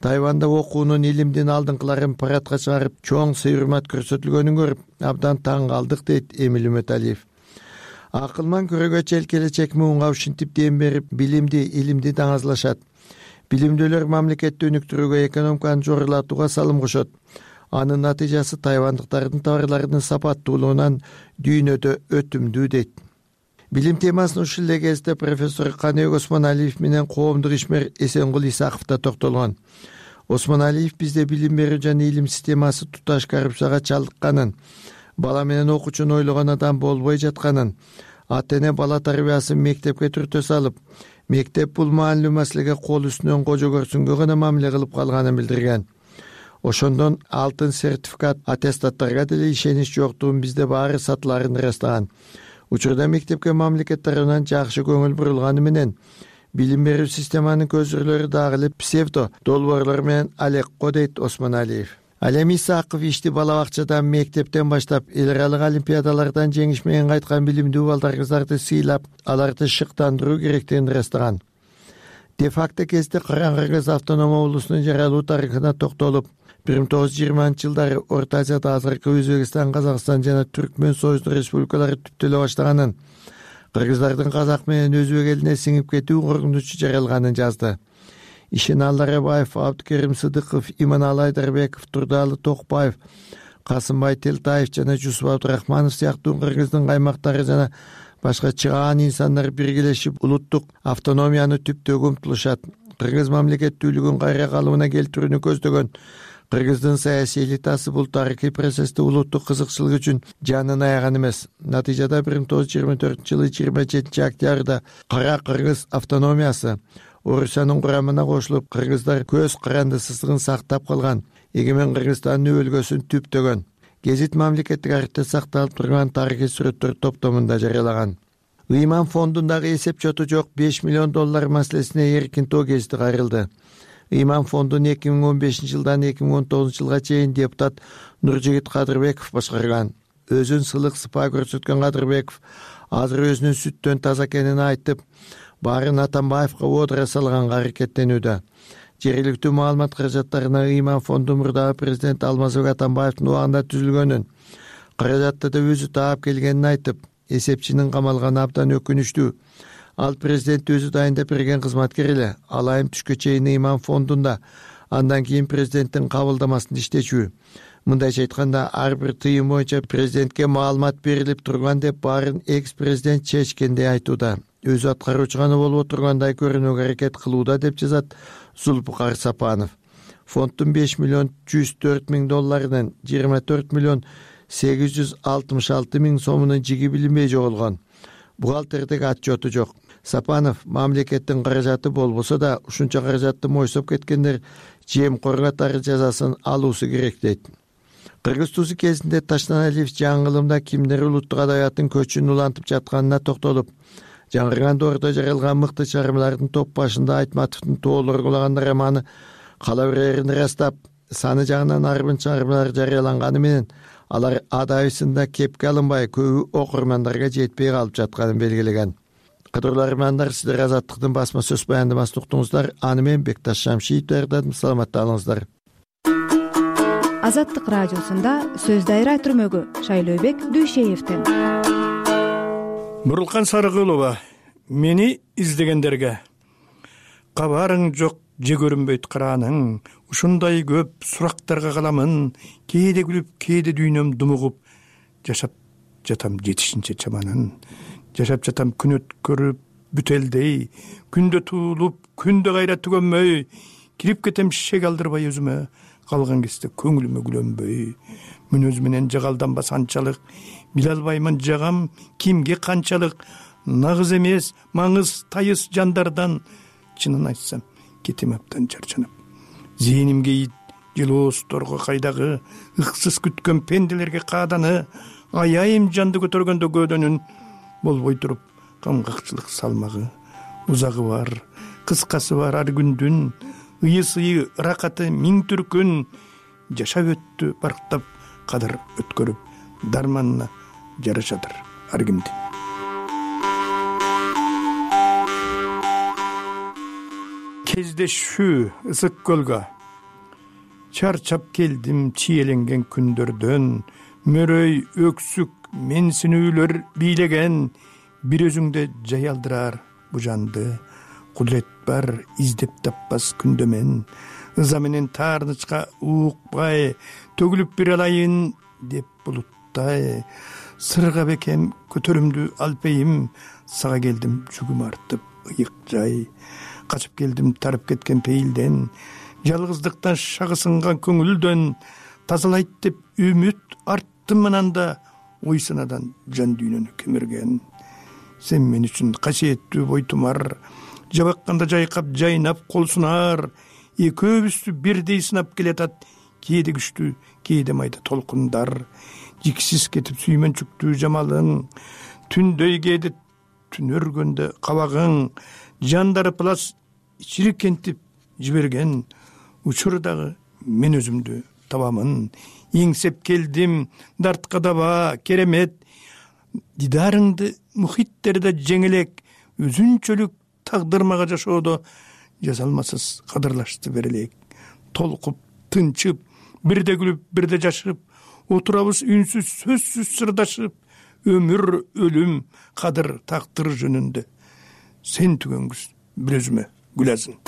Тайванда окуунун, илимдин алдыңкыларын парадка чыгарып, чоң сый урмат көрсөтүлгөнүн көрүп, абдан таң калдык дейт Эмил Үмөталиев. Акылман көрөгө чел келечек муунга ушинтип дем берип, билимди, илимди даңазлашат. Билимдүүлөр мамлекетти өнүктүрүүгө, экономиканы жогорулатууга салым кошот. Анын натыйжасы тайвандыктардын товарларынын сапаттуулугунан дүйнөдө өтүмдүү дейт. Билим темасына ушул эле кезде профессор Каныбек Осмоналиев менен коомдук ишмер Эсенгул Исаков да токтолгон. Осмоналиев бизде билим берүү жана илим системасы туташ коррупцияга чалдыкканын, бала менен окуучуну ойлогон адам болбой жатканын, ата эне бала тарбиясын мектепке түртө салып, мектеп бул маанилүү маселеге кол үстүнөн кожо көрсүнгө гана мамиле кылып калганын билдирген. Ошондон алтын сертификат, аттестаттарга деле ишенич жоктугун бизде баары сатыларын ырастаган. Учурда мектепке мамлекет тарабынан жакшы көңүл бурулганы менен билим берүү системанын көзүрлөрү дагы эле псевдо долбоорлор менен алекко, дейт Осмоналиев. Ал эми Исаков ишти бала бакчадан, мектептен баштап эл аралык олимпиадалардан жеңиш менен кайткан билимдүү балдар кыздарды сыйлап, аларды шыктандыруу керектигин ырастаган. Де факто кезде Кыргыз Кыргыз автономия облусунун жаралуу тарыхына токтолуп, бир миң тогуз жүз жыйырманчы жылдары Орто Азияда азыркы Өзбекстан, Казакстан жана Түркмөн Союздук республикалары түптөлө баштаганын, кыргыздардын казак менен өзбек элине сиңип кетүү коркунучу жаралганын жазды. Ишеналы Рабаев, Абдыкерим Сыдыков, Иманалы Айдарбеков, Турдалы Токпаев, Касымбай Телтаев жана Жусуп Абдырахманов сыяктуу кыргыздын каймактары жана башка чыгаан инсандар биргелешип улуттук автономияны түптөөгө умтулушат. Кыргыз мамлекеттүүлүгүн кайра калыбына келтирүүнү көздөгөн кыргыздын саясий элитасы бул тарыхый процессте улуттук кызыкчылык үчүн жанын аяган эмес. Натыйжада бир миң тогуз жүз жыйырма төртүнчү жылы жыйырма жетинчи октябрда Кара Кыргыз автономиясы Орусиянын курамына кошулуп, кыргыздар көз карандысыздыгын сактап калган, эгемен Кыргызстандын өлкөсүн түптөгөн. Гезит мамлекеттик архивде сакталып турган тарыхый сүрөттөр топтомунда жарыялаган. Ыйман фондундагы эсеп чоту жок беш миллион доллар маселесине эркин тоо гезити кайрылды. Ыйман фондун эки миң он бешинчи жылдан эки миң он тогузунчу жылга чейин депутат Нуржигит Кадырбеков башкарган. Өзүн сылык сыпаа көрсөткөн Кадырбеков азыр өзүнүн сүттөн таза экенин айтып, баарын Атамбаевга оодура салганга аракеттенүүдө. Жергиликтүү маалымат каражаттарына Ыйман фонду мурдагы президент Алмазбек Атамбаевдин убагында түзүлгөнүн, каражатты да өзү таап келгенин айтып, эсепчинин камалганы абдан өкүнүчтүү. Ал президент өзү дайындап берген кызматкер эле. Ал айым түшкө чейин Ыйман фондунда, андан кийин президенттин кабылдамасында иштечү. Мындайча айтканда, ар бир тыйым боюнча президентке маалымат берилип турган деп баарын экс-президент чечкендей айтууда. Өзү аткаруучу гана болуп тургандай көрүнүүгө аракет кылууда, деп жазат Зулпукар Сапанов. Фонддун беш миллион жүз төрт миң долларынан жыйырма төрт миллион сегиз жүз алтымыш алты миң сомунун жиги билинбей жоголгон. Бухгалтердеги отчету жок. Сапанов мамлекеттин каражаты болбосо да, ушунча каражатты мойсоп кеткендер жемкор катары жазасын алуусу керек, дейт. Кыргыз туузу кезинде Таштаналиев жаңылымда кимдер улуттук адабияттын көчүн улантып жатканына токтолуп, жаңырган доордо жаралган мыкты чыгармалардын топ башында Айтматовдун Тоолор кулаган романы кала берерин ырастап, саны жагынан арбын чыгармалар жарыяланганы менен алар адабисында кепке алынбай көбү окурмандарга жетпей калып жатканын белгилеген. Кадырлуу армандар, сиздер Азаттыктын басма сөз баяндамасын уктуңуздар. Аны менен Бекташ Шамшиев даярдадым. Саламатта калыңыздар. Азаттык радиосунда сөз дайра түрмөгү Шайлообек Дүйшеевден. Бурулкан Сарыгулова, мени издегендерге кабарың жок, же көрүнбөйт карааның, ушундай көп сурактарга каламын, кээде күлүп, кээде дүйнөм думугуп, жашап жатам жетишинче чаманын, жашап жатам күн өткөрүп бүтелдей, күндө туулуп, күндө кайра түгөнмөй, кирип кетем шек алдырбай өзүмө, калган кезде көңүлүмө күлөнбөй, мүнөз менен жагалданбас анчалык, биле албаймын жагам кимге канчалык, нагыз эмес, маңыз тайыз жандардан, чынын айтсам, кетем абдан чарчанып. Зээнимге ит, жылоосторго кайдагы, ыксыз күткөн пенделерге кааданы, аяйым жанды көтөргөндө көөдөнүн, болбой туруп, камгакчылык салмагы, узагы бар, кыскасы бар ар күндүн, ыйы-сыйы, ыракаты миң түркүн, жашап өттү барктап, кадыр өткөрүп, дарманына жарашадыр ар кимдин. Кездешүү ысык көлгө, чарчап келдим чиеленген күндөрдөн, мөрөй, өксүк, менсинүүлөр бийлеген, бир өзүңдө жай алдырар бу жанды, кудрет бар издеп таппас күндөмен, ыза менен таарнычка уукпай, төгүлүп бир алайын деп булуттай, сырга бекем көтөрүмдү алпейим, сага келдим жүгүм артып ыйык жай. Качып келдим тарып кеткен пейилден, жалгыздыктан шагы сынган көңүлдөн. Тазалайт деп үмүт арттым ананда, ой санадан жан дүйнөнү кемирген. Сен мен үчүн касиеттүү бойтумар, жабакканда жайкап жайнап кол сунар. Экөөбүздү бирдей сынап келатат, кээде күчтүү, кээде майда толкундар. Жиксиз кетип сүймөнчүктүү жамалың, түндөй кээде түн өргөндө кабагың. Жандары плас чирикентип жиберген, учурдагы мен өзүмдү табамын. Эңсеп келдим дартка даба керемет, дидарыңды мухиттерде жеңелек, өзүнчөлүк тагдыр мага жашоодо жазалмасыз кадырлашты берелек. Толкуп тынчып, бирде күлүп бирде жашып, отурабыз үнсүз сөзсүз сырдашып. Өмүр өлүм кадыр тактыр жөнүндө, сен түгөнгүз бир өзүмө гүлазын.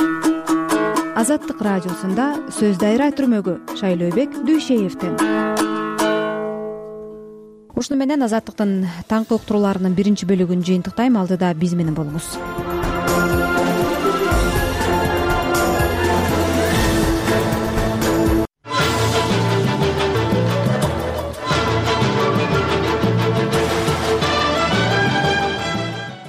Азаттык радиосунда сөз дайра түрмөгү Шайлообек Дүйшеевден. Ушуну менен Азаттыктын таңкы уктурууларынын биринчи бөлүгүн жыйынтыктайм. Алдыда биз менен болуңуз.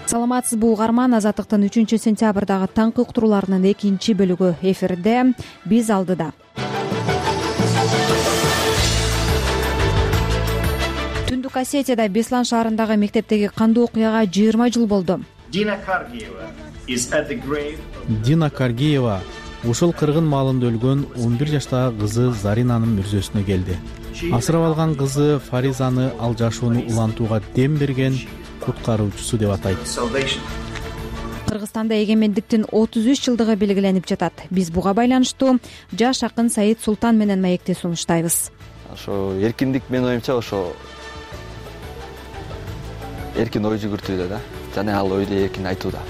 Саламатсызбы угарман, Азаттыктын үчүнчү сентябрдагы таңкы уктурууларынын экинчи бөлүгү эфирде. Биз алдыда. Түндүк Осетияда Беслан шаарындагы мектептеги кандуу окуяга жыйырма жыл болду. Дина Каргиева is at the grave. Дина Каргиева ушул кыргын маалында өлгөн он бир жаштагы кызы Заринанын мүрзөсүнө келди. Асырап алган кызы Фаризаны ал жашоону улантууга дем берген куткаруучусу деп атайт. Кыргызстанда эгемендиктин отуз үч жылдыгы белгиленип жатат. Биз буга байланыштуу жаш акын Саид Султан менен маекти сунуштайбыз. Ошо эркиндик менин оюмча ошо эркин ой жүгүртүүдө да, жана ал ойду эркин айтууда.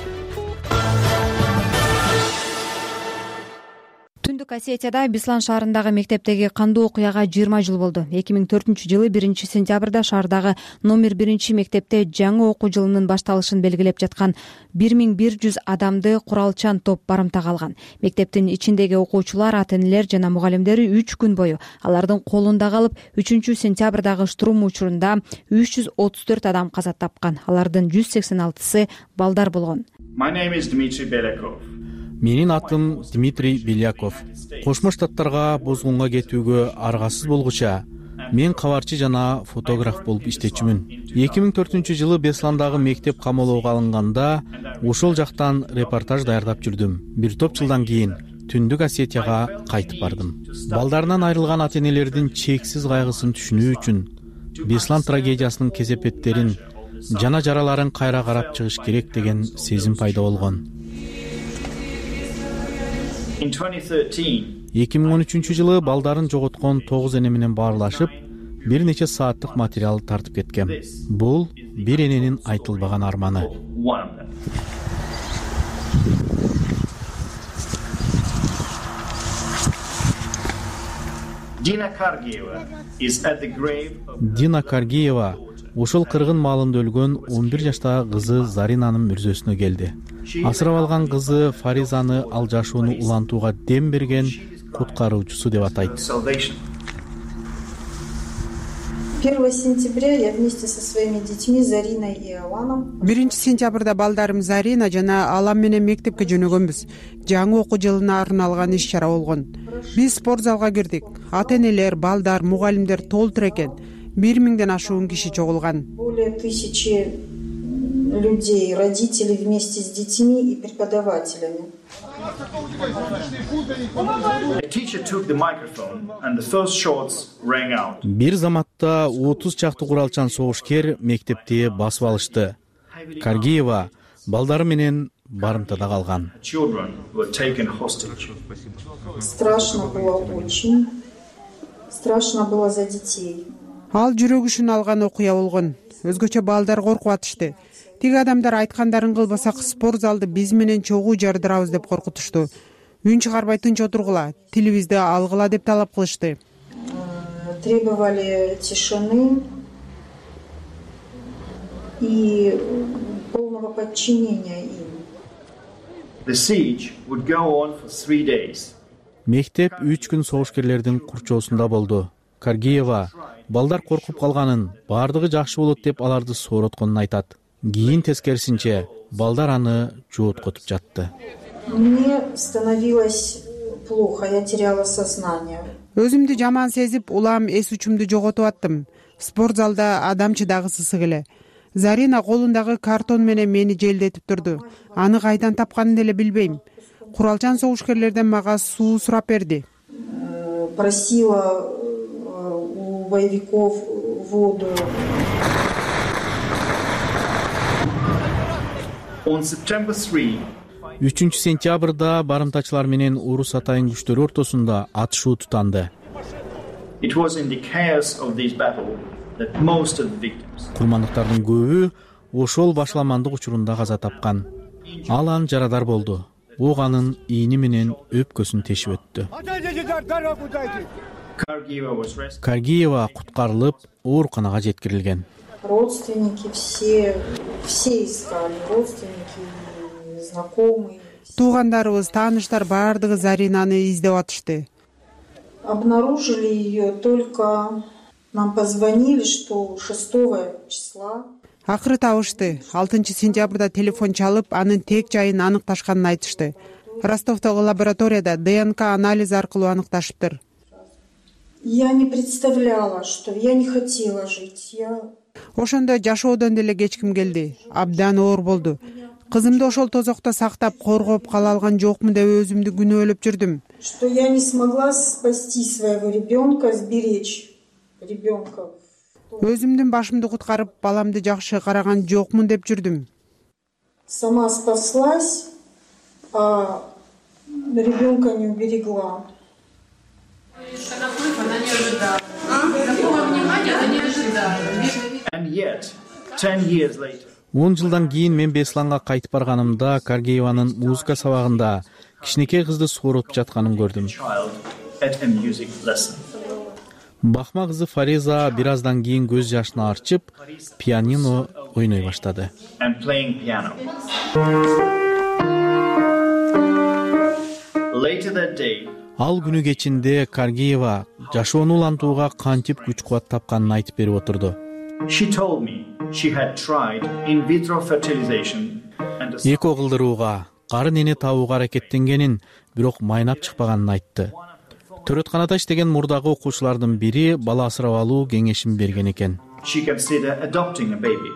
Түндүк Осетияда Беслан шаарындагы мектептеги кандуу окуяга жыйырма жыл болду. эки миң төртүнчү жылы биринчи сентябрда шаардагы номер биринчи мектепте жаңы окуу жылынын башталышын белгилеп жаткан бир миң бир жүз адамды куралчан топ барымтага алган. Мектептин ичиндеги окуучулар, ата-энелер жана мугалимдери үч күн бою алардын колунда калып, үчүнчү сентябрдагы штурм учурунда үч жүз отуз төрт адам каза тапкан. Алардын жүз сексен алтысы балдар болгон. My name is Dmitry Belakov. Менин атым Дмитрий Беляков. Кошмо Штаттарга бозгунга кетүүгө аргасыз болгуча мен кабарчы жана фотограф болуп иштечүмүн. эки миң төртүнчү жылы Бесландагы мектеп камоолоого алынганда ошол жактан репортаж даярдап жүрдүм. Бир топ жылдан кийин Түндүк Осетияга кайтып бардым. Балдарынан айрылган ата-энелердин чексиз кайгысын түшүнүү үчүн Беслан трагедиясынын кесепеттерин жана жараларын кайра карап чыгыш керек деген сезим пайда болгон. эки миң он үчүнчү жылы балдарын жоготкон тогуз эне менен баарлашып, бир нече сааттык материал тартып кеткем. Бул бир эненин айтылбаган арманы. Dina Kargиева is at the grave of Дина Каргиева ушул кыргын маалында өлгөн он бир жаштагы кызы Заринанын мүрзөсүнө келди. Асырап алган кызы Фаризаны ал жашоону улантууга дем берген куткаруучусу деп атайт. первого сентября я вместе со своими детьми Зариной и Аланом. биринчи сентябрда балдарым Зарина жана Алам менен мектепке жөнөгөнбүз. Жаңы окуу жылына арналган иш чара болгон. Биз спорт залга кирдик. Ата-энелер, балдар, мугалимдер толтур экен. бир миңден ашуун киши чогулган. Более тысячи людей, родители вместе с детьми и преподавателями. Бир заматта отуз чакты куралчан согушкер мектепти басып алышты. Каргиева балдары менен барымтада калган. Страшно было очень. Страшно было за детей. Ал жүрөгүшүн алган окуя болгон. Өзгөчө балдар коркуп атышты. Тиги адамдар айткандарын кылбасак спорт залды биз менен чогуу жардырабыз деп коркутушту. Үн чыгарбай тынч отургула, тилибизди алгыла деп талап кылышты. Требовали тишины, и полного подчинения им. The siege would go on for three days. Мектеп үч күн согушкерлердин курчоосунда болду. Каргиева балдар коркуп калганын, баардыгы жакшы болот деп аларды сооротконун айтат. Кийин тескерисинче балдар аны жооткотуп жатты. Мне становилось плохо, я теряла сознание. Өзүмдү жаман сезип, улам эс учумду жоготуп аттым. Спорт залда адам чыдагысыз эле. Зарина колундагы картон менен мени желдетип турду. Аны кайдан тапканын деле билбейм. Куралчан согушкерлерден мага суу сурап берди. Просила у боевиков воду. On September third, үчүнчү сентябрда барымтачылар менен урус атайын күчтөрү ортосунда атышуу тутанды. it was in the chaos of this battle that most of the victims. Курмандыктардын көбү ошол башаламандык учурунда каза тапкан. Ал анын жарадар болду. Ок анын ийни менен өпкөсүн тешип өттү. Каргиева куткарылып, ооруканага жеткирилген. Родственники все, все искали, родственники, знакомые. Туугандарыбыз, тааныштар баардыгы Заринаны издеп атышты. Обнаружили ее только, нам позвонили, что шестого числа. Акыры табышты. алтынчы сентябрда телефон чалып, анын тек жайын аныкташканын айтышты. Ростовдогу лабораторияда ДНК анализ аркылуу аныкташыптыр. Я не представляла, что я не хотела жить. Я... Ошондо жашоодон деле кечким келди. Абдан оор болду. Кызымды ошол тозокто сактап, коргоп кала алган жокмун деп өзүмдү күнөөлөп жүрдүм. Что я не смогла спасти своего ребенка, сберечь ребенка. Өзүмдүн башымды куткарып, баламды жакшы караган жокмун деп жүрдүм. Сама спаслась, а ребенка не уберегла. And yet, ten years later, он жылдан кийин мен Бесланга кайтып барганымда Каргиеванын музыка сабагында кичинекей кызды сооротуп жатканын көрдүм. child at a music lesson. Бахма кызы Фариза бир аздан кийин көз жашын арчып, пианино ойной баштады. And playing piano. Later that day, Ал күнү кечинде Каргиева жашоону улантууга кантип күч кубат тапканын айтып берип отурду. she told me she had tried in vitro fertilization and a... Эко кылдырууга, карын эне табууга аракеттенгенин, бирок майнап чыкпаганын айтты. Төрөтканада иштеген мурдагы окуучулардын бири бала асырап алуу кеңешин берген экен. She considered adopting a baby.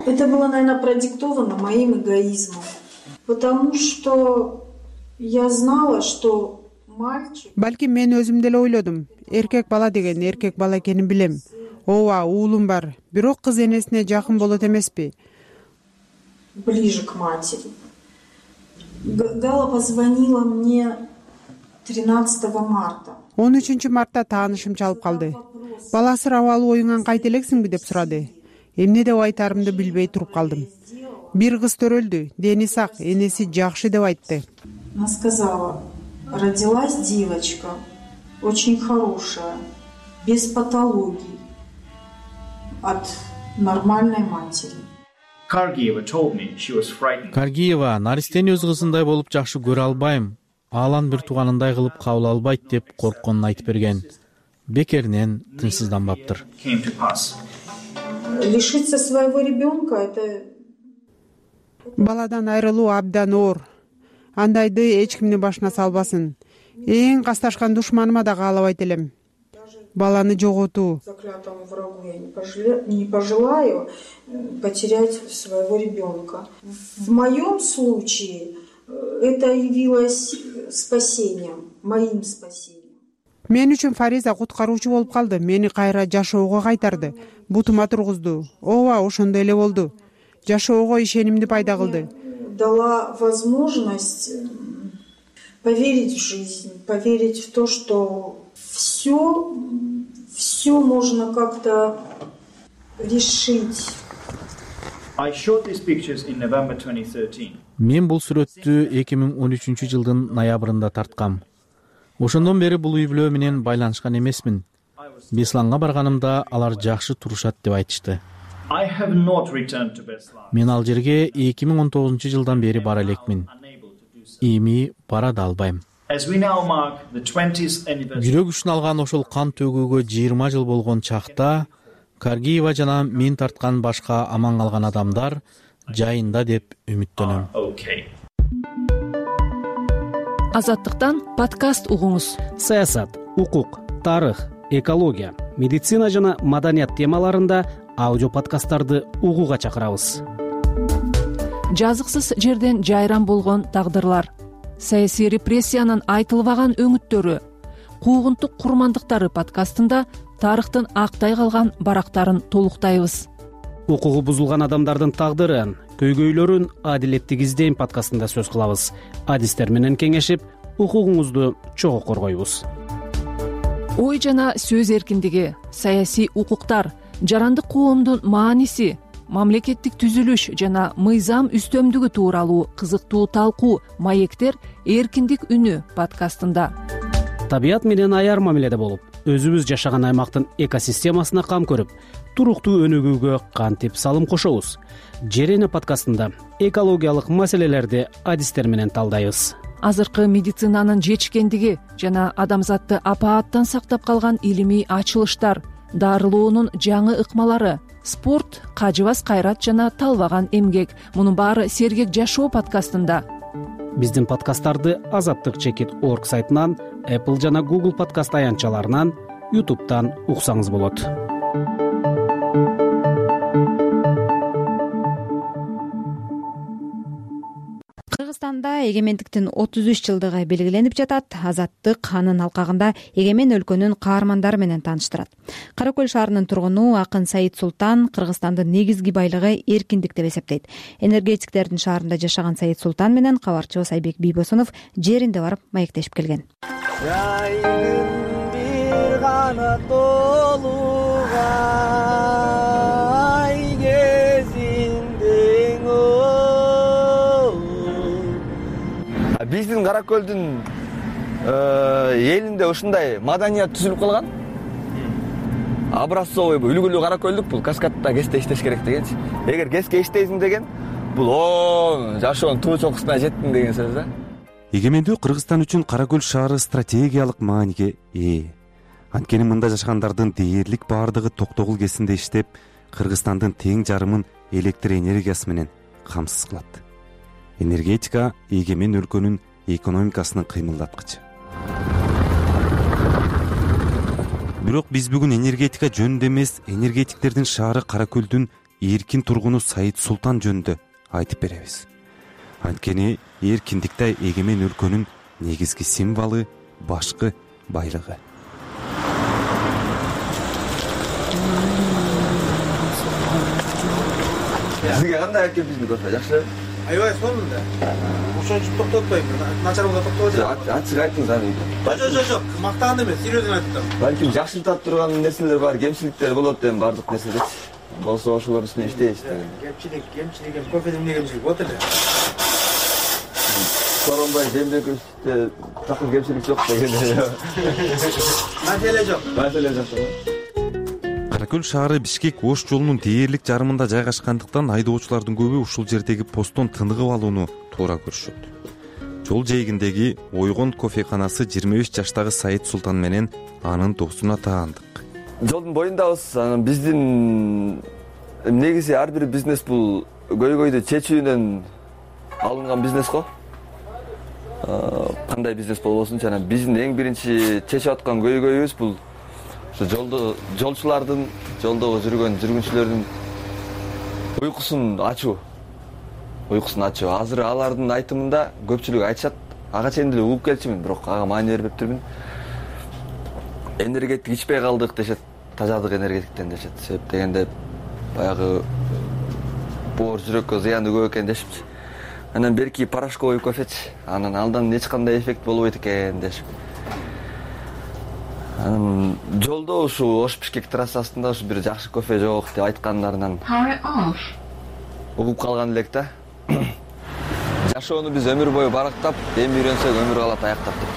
Это было, наверное, продиктовано моим эгоизмом, потому что я знала, что мальчик... Балки мен өзүм деле ойлодум. Эркек бала деген эркек бала экенин билем. Ооба, уулум бар. Бирок кыз энесине жакын болот эмеспи? Ближе к матери. Гала позвонила мне тринадцатого марта. он үчүнчү мартта таанышым чалып калды. Бала асырап алуу оюңан кайта элексиңби деп сурады. Эмне деп айтарымды билбей туруп калдым. Бир кыз төрөлдү, дени сак, энеси жакшы деп айтты. Она сказала: родилась девочка, очень хорошая, без патологий, от нормальной матери. Kargieva told me she was frightened. Каргиева наристени өз кызындай болуп жакшы көрө албайм, алан бир тууганындай кылып кабыл албайт деп коркконун айтып берген. Бекеринен тынчсызданбаптыр. Came to pass. Лишиться своего ребенка — это... Баладан айрылуу абдан оор. Андайды эч кимдин башына салбасын. Эң касташкан душманыма да каалабайт элем. Баланы жоготуу. Заклятому врагу я не, пожелаю, не пожелаю потерять своего ребенка. В моем случае это явилось спасением, моим спасением. Мен үчүн Фариза куткаруучу болуп калды. Мени кайра жашоого кайтарды. Бутума тургузду. Ооба, ошондой эле болду. Жашоого ишенимди пайда кылды. Дала возможность поверить в жизнь, поверить в то, что все, все можно как-то решить. I shot these pictures in November twenty thirteen. Мен бул сүрөттү эки миң он үчүнчү жылдын ноябрында тарткам. Ошондон бери бул үй бүлө менен байланышкан эмесмин. Бесланга барганымда алар жакшы турушат деп айтышты. мен ал жерге эки миң он тогузунчу жылдан бери бара элекмин. Эми бара да албайм. Жүрөк үчүн алган ошол кан төгүүгө жыйырма жыл болгон чакта Каргиева жана мен тарткан башка аман калган адамдар жайында деп үмүттөнөм. Азаттыктан подкаст угуңуз. Саясат, укук, тарых, экология, медицина жана маданият темаларында аудио подкасттарды угууга чакырабыз. Жазыксыз жерден жайран болгон тагдырлар, саясий репрессиянын айтылбаган өңүттөрү, куугунтук курмандыктары подкастында тарыхтын актай калган барактарын толуктайбыз. Укугу бузулган адамдардын тагдырын, көйгөйлөрүн адилеттик издейм подкастында сөз кылабыз. Адистер менен кеңешип, укугуңузду чогуу коргойбуз. Ой жана сөз эркиндиги, саясий укуктар, жарандык коомдун мааниси, мамлекеттик түзүлүш жана мыйзам үстөмдүгү тууралуу кызыктуу талкуу маектер эркиндик үнү подкастында. Табият менен аяр мамиледе болуп, өзүбүз жашаган аймактын экосистемасына кам көрүп, туруктуу өнүгүүгө кантип салым кошобуз. Жерене подкастында экологиялык маселелерди адистер менен талдайбыз. Азыркы медицинанын жетишкендиги жана адамзатты апааттан сактап калган илимий ачылыштар, дарылоонун жаңы ыкмалары, спорт, кажыбас кайрат жана талбаган эмгек. Мунун баары Сергек жашоо подкастында. Биздин подкасттарды азаттык чекит орг сайтынан, Apple жана Google подкаст аянтчаларынан, YouTube'дан уксаңыз болот. Кыргызстанда эгемендиктин отуз үч жылдыгы белгиленип жатат. Азаттык анын алкагында эгемен өлкөнүн каармандары менен тааныштырат. Кара Көл шаарынын тургуну акын Саид Султан Кыргызстандын негизги байлыгы эркиндик деп эсептейт. Энергетиктердин шаарында жашаган Саид Султан менен кабарчыбыз Айбек Бийбосунов жеринде барып маектешип келген. Бир гана биздин Кара Көлдүн элинде ушундай маданият түзүлүп калган. Образцовый үлгүлүү Кара Көлдүк бул каскадта кесте иштеш керек дегенчи. Эгер кеске иштейсиң деген бул о жашоонун туу чокусуна жеттиң деген сөз да. Эгемендүү Кыргызстан үчүн Кара Көл шаары стратегиялык мааниге ээ. Анткени мында жашагандардын дээрлик баардыгы токтогул кесинде иштеп, Кыргызстандын тең жарымын электр энергиясы менен камсыз кылат. Энергетика эгемен өлкөнүн экономикасынын кыймылдаткычы. Бирок биз бүгүн энергетика жөнүндө эмес, энергетиктердин шаары Кара Көлдүн эркин тургуну Саид Султан жөнүндө айтып беребиз. Анткени эркиндикте эгемен өлкөнүн негизги символу, башкы байлыгы. Сизге кандай экен биздин кофе, жакшы? Аябай сонун да. Ошончу токтотпойм. Начар болсо токтоп жатат. Ачык айтыңыз аны. Жок, жок, жок. Мактаган эмес, серьезно айтып атам. Балким жакшыртат турган нерселер бар, кемчиликтер болот эми бардык нерседе. Болсо ошолор үстүнө иштейбиз. Кемчилик, кемчилик эми кофеде эмне кемчилик болот эле? Соронбай жемдекте такыр кемчилик жок деген. Маселе жок. Маселе жок. Кара Көл шаары Бишкек Ош жолунун дээрлик жарымында жайгашкандыктан айдоочулардын көбү ушул жердеги посттон тыныгып алууну туура көрүшөт. Жол жээгиндеги Ойгон кофеканасы жыйырма беш жаштагы Саид Султан менен анын досуна таандык. Жолдун боюндабыз. Биздин негизи ар бир бизнес бул көйгөйдү чечүүнөн алынган бизнес го. Кандай бизнес болбосун, жана биздин эң биринчи чечип аткан көйгөйүбүз бул жолдо жолчулардын, жолдогу жүргөн жүргүнчүлөрдүн уйкусун ачуу. Уйкусун ачуу. Азыр алардын айтымында көпчүлүк айтышат, ага чейин деле угуп келчүмүн, бирок ага маани бербептирмин. Энергетик ичпей калдык дешет, тазадык энергетиктен дешет. Себеп дегенде баягы боор жүрөккө зыяны көп экен дешипчи. Анан берки порошковый кофечи, анан алдан эч кандай эффект болбойт экен дешип. Анан жолдо ушу Ош-Бишкек трассасында ушу бир жакшы кофе жок деп айткандарынан угуп калган элек да. Жашоону биз өмүр бою барактап, эми үйрөнсөк өмүр калат аяктап деп.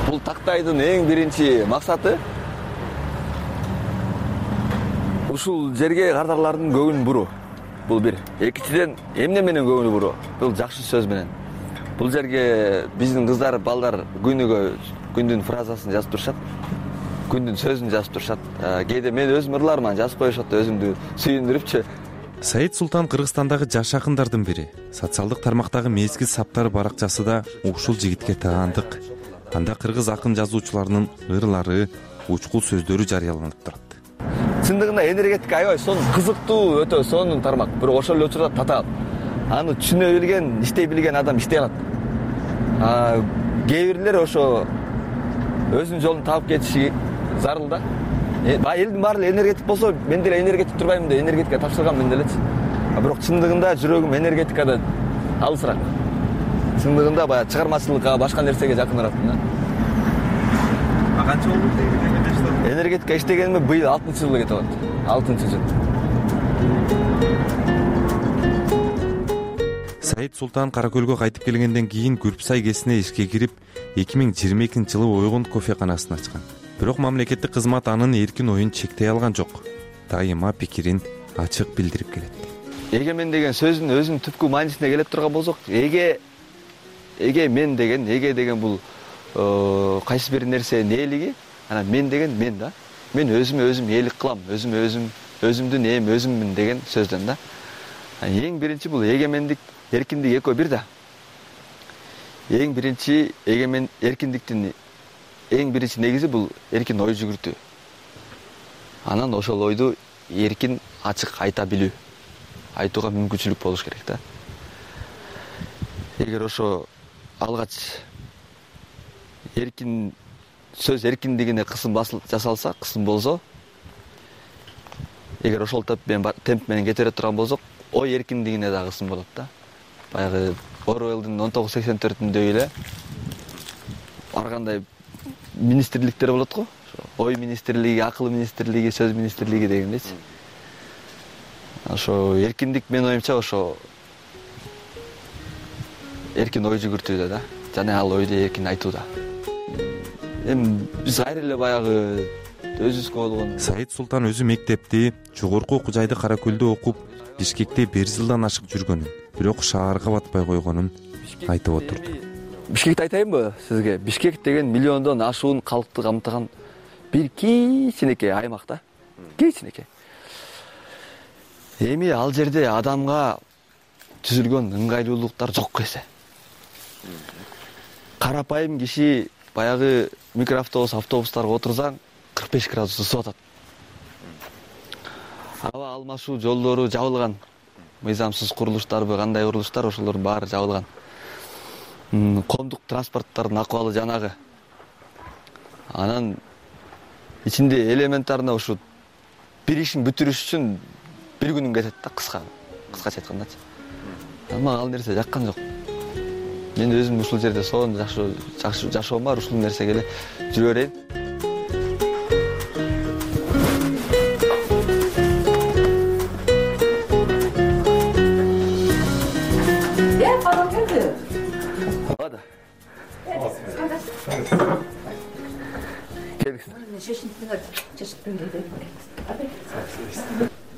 Бул тактайдын эң биринчи максаты ушул жерге кардарлардын көңүлүн буруу. Бул бир. Экинчиден, эмне менен көңүл буруу? Бул жакшы сөз менен. Бул жерге биздин кыздар, балдар күнүгө күндүн фразасын жазып турушат. Күндүн сөзүн жазып турушат. Кээде мен өзүм ырларман жазып коюшат, өзүмдү сүйүндүрүпчү. Саид Султан Кыргызстандагы жаш акындардын бири. Социалдык тармактагы мезгил саптары баракчасы да ушул жигитке таандык. Анда кыргыз акын жазуучуларынын ырлары, учкул сөздөрү жарыяланып турат. Чындыгында энергетика аябай сонун кызыктуу, өтө сонун тармак. Бирок ошол эле учурда татаал. Аны түшүнө билген, иштей билген адам иштей алат. А кээ бирлер ошо өзүнүн жолун таап кетиши зарыл да. Бай элдин баары эле энергетик болсо, мен деле энергетик турбаймын деп энергетика тапшырганмын делечи. А бирок чындыгында жүрөгүм энергетикада алысыраак. Чындыгында баягы чыгармачылыкка, башка нерсеге жакыныраакмын да. А канча болду энергетикада иштеп? Энергетика иштегениме быйыл алтынчы жылга кетип атат. алтынчы жыл. Саид Султан Каракөлгө кайтып келгенден кийин Күрпсай кесине ишке кирип, эки миң жыйырма экинчи жылы Ойгон кофеканасын ачкан. Бирок мамлекеттик кызмат анын эркин оюн чектей алган жок. Дайыма пикирин ачык билдирип келет. Эгемен деген сөздүн өзүнүн түпкү маанисине келип турган болсок, эге эге мен деген, эге деген бул кайсы бир нерсенин ээлиги, анан мен деген мен да. Мен өзүмө өзүм ээлик кылам, өзүмө өзүм өзүмдүн эм өзүммүн деген сөздөн да. Эң биринчи бул эгемендик, эркиндик экөө бир да. Эң биринчи эгемен эркиндиктин эң биринчи негизи бул эркин ой жүгүртүү. Анан ошол ойду эркин ачык айта билүү. Айтууга мүмкүнчүлүк болуш керек да. Эгер ошо алгач эркин сөз эркиндигине кысым жасалса, кысым болсо, эгер ошол темп менен кете бере турган болсок, ой эркиндигине да кысым болот да. Баягы Оруэллдин он тогуз сексен төртүндөй эле ар кандай министрликтер болот го. Ой министрлиги, акыл министрлиги, сөз министрлиги дегендейчи. Ошо эркиндик мен оюмча ошо эркин ой жүгүртүүдө да, жана ал ойду эркин айтууда. Эми биз кайра эле баягы өзүбүзгө болгон. Саид Султан өзү мектепти, жогорку окуу жайды Каракөлдө окуп, Бишкекте бир жылдан ашык жүргөнүн, бирок шаарга батпай койгонун айтып отурду. Бишкекти айтайынбы сизге? Бишкек деген миллиондон ашуун калкты камтыган бир кичинекей аймак да. Кичинекей. Эми ал жерде адамга түзүлгөн ыңгайлуулуктар жок эсе. Карапайым киши баягы микроавтобус, автобустарга отурсаң кырк беш градус ысып атат. Аба алмашуу жолдору жабылган. Мыйзамсыз курулуштарбы, кандай курулуштар, ошолор баары жабылган. Коомдук транспорттардын акыбалы жанагы. Анан ичинде элементарно ушу бир ишин бүтүрүш үчүн бир күнүң кетет да, кыска, кыскача айткандачы. Ама ал нерсе жаккан жок. Мен өзүм ушул жерде сонун жакшы жашоом бар, ушул нерсеге эле жүрө берейин. Э, калам келди. Ада.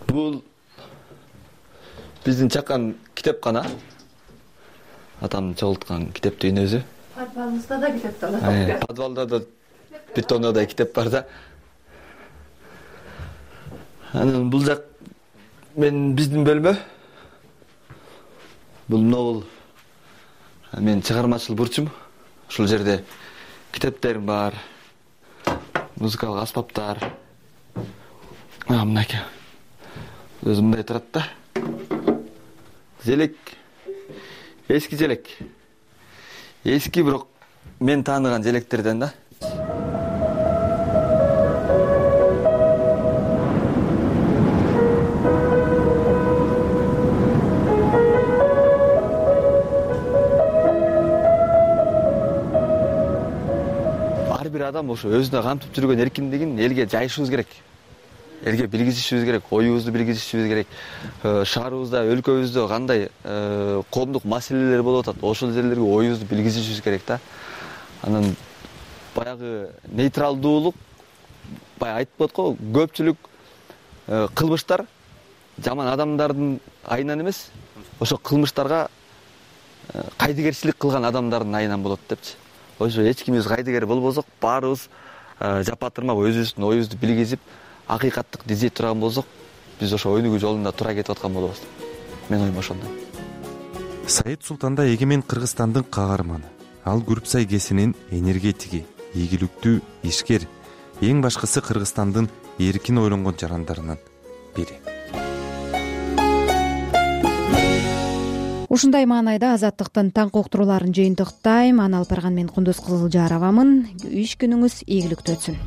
Бул биздин чакан китепкана. Атам чогулткан китептин өзү. Подвалыбызда да китеп бар. Подвалда да бир тоннадай китеп бар да. Анан бул жак мен биздин бөлмө. Бул могул. Мен чыгармачыл бурчум. Ушул жерде китептерим бар. Музыкалык аспаптар. А, мынакей. Өзү мындай турат да. Желек. Эски желек. Эски бирок мен тааныган желектерден да. Ар бир адам ошо өзүнө камтып жүргөн эркиндигин элге жайышыбыз керек. Элге билгизишибиз керек, оюбузду билгизишибиз керек. Шаарыбызда, өлкөбүздө кандай коомдук маселелер болуп атат, ошол жерлерге оюбузду билгизишибиз керек да. Анан баягы нейтралдуулук, баягы айтып коет го, көпчүлүк кылмыштар жаман адамдардын айынан эмес, ошо кылмыштарга кайдыгерчилик кылган адамдардын айынан болот депчи. Ошо эч кимибиз кайдыгер болбосок, баарыбыз жапатырмак өзүбүздүн оюбузду билгизип, акыйкаттык издей турган болсок, биз ошо өнүгүү жолунда туура кетип аткан болобуз. Мен оюм ошондой. Саид Султанда эгемен Кыргызстандын каарманы. Ал Күрүпсай КЭСинин энергетиги, ийгиликтүү ишкер, эң башкысы Кыргызстандын эркин ойлонгон жарандарынын бири. Ушундай маанайда Азаттыктын таң уктурууларын жыйынтыктайм. Аны алып барган мен Кундуз Кызылжаровамын. Иш күнүңүз ийгиликтүү өтсүн.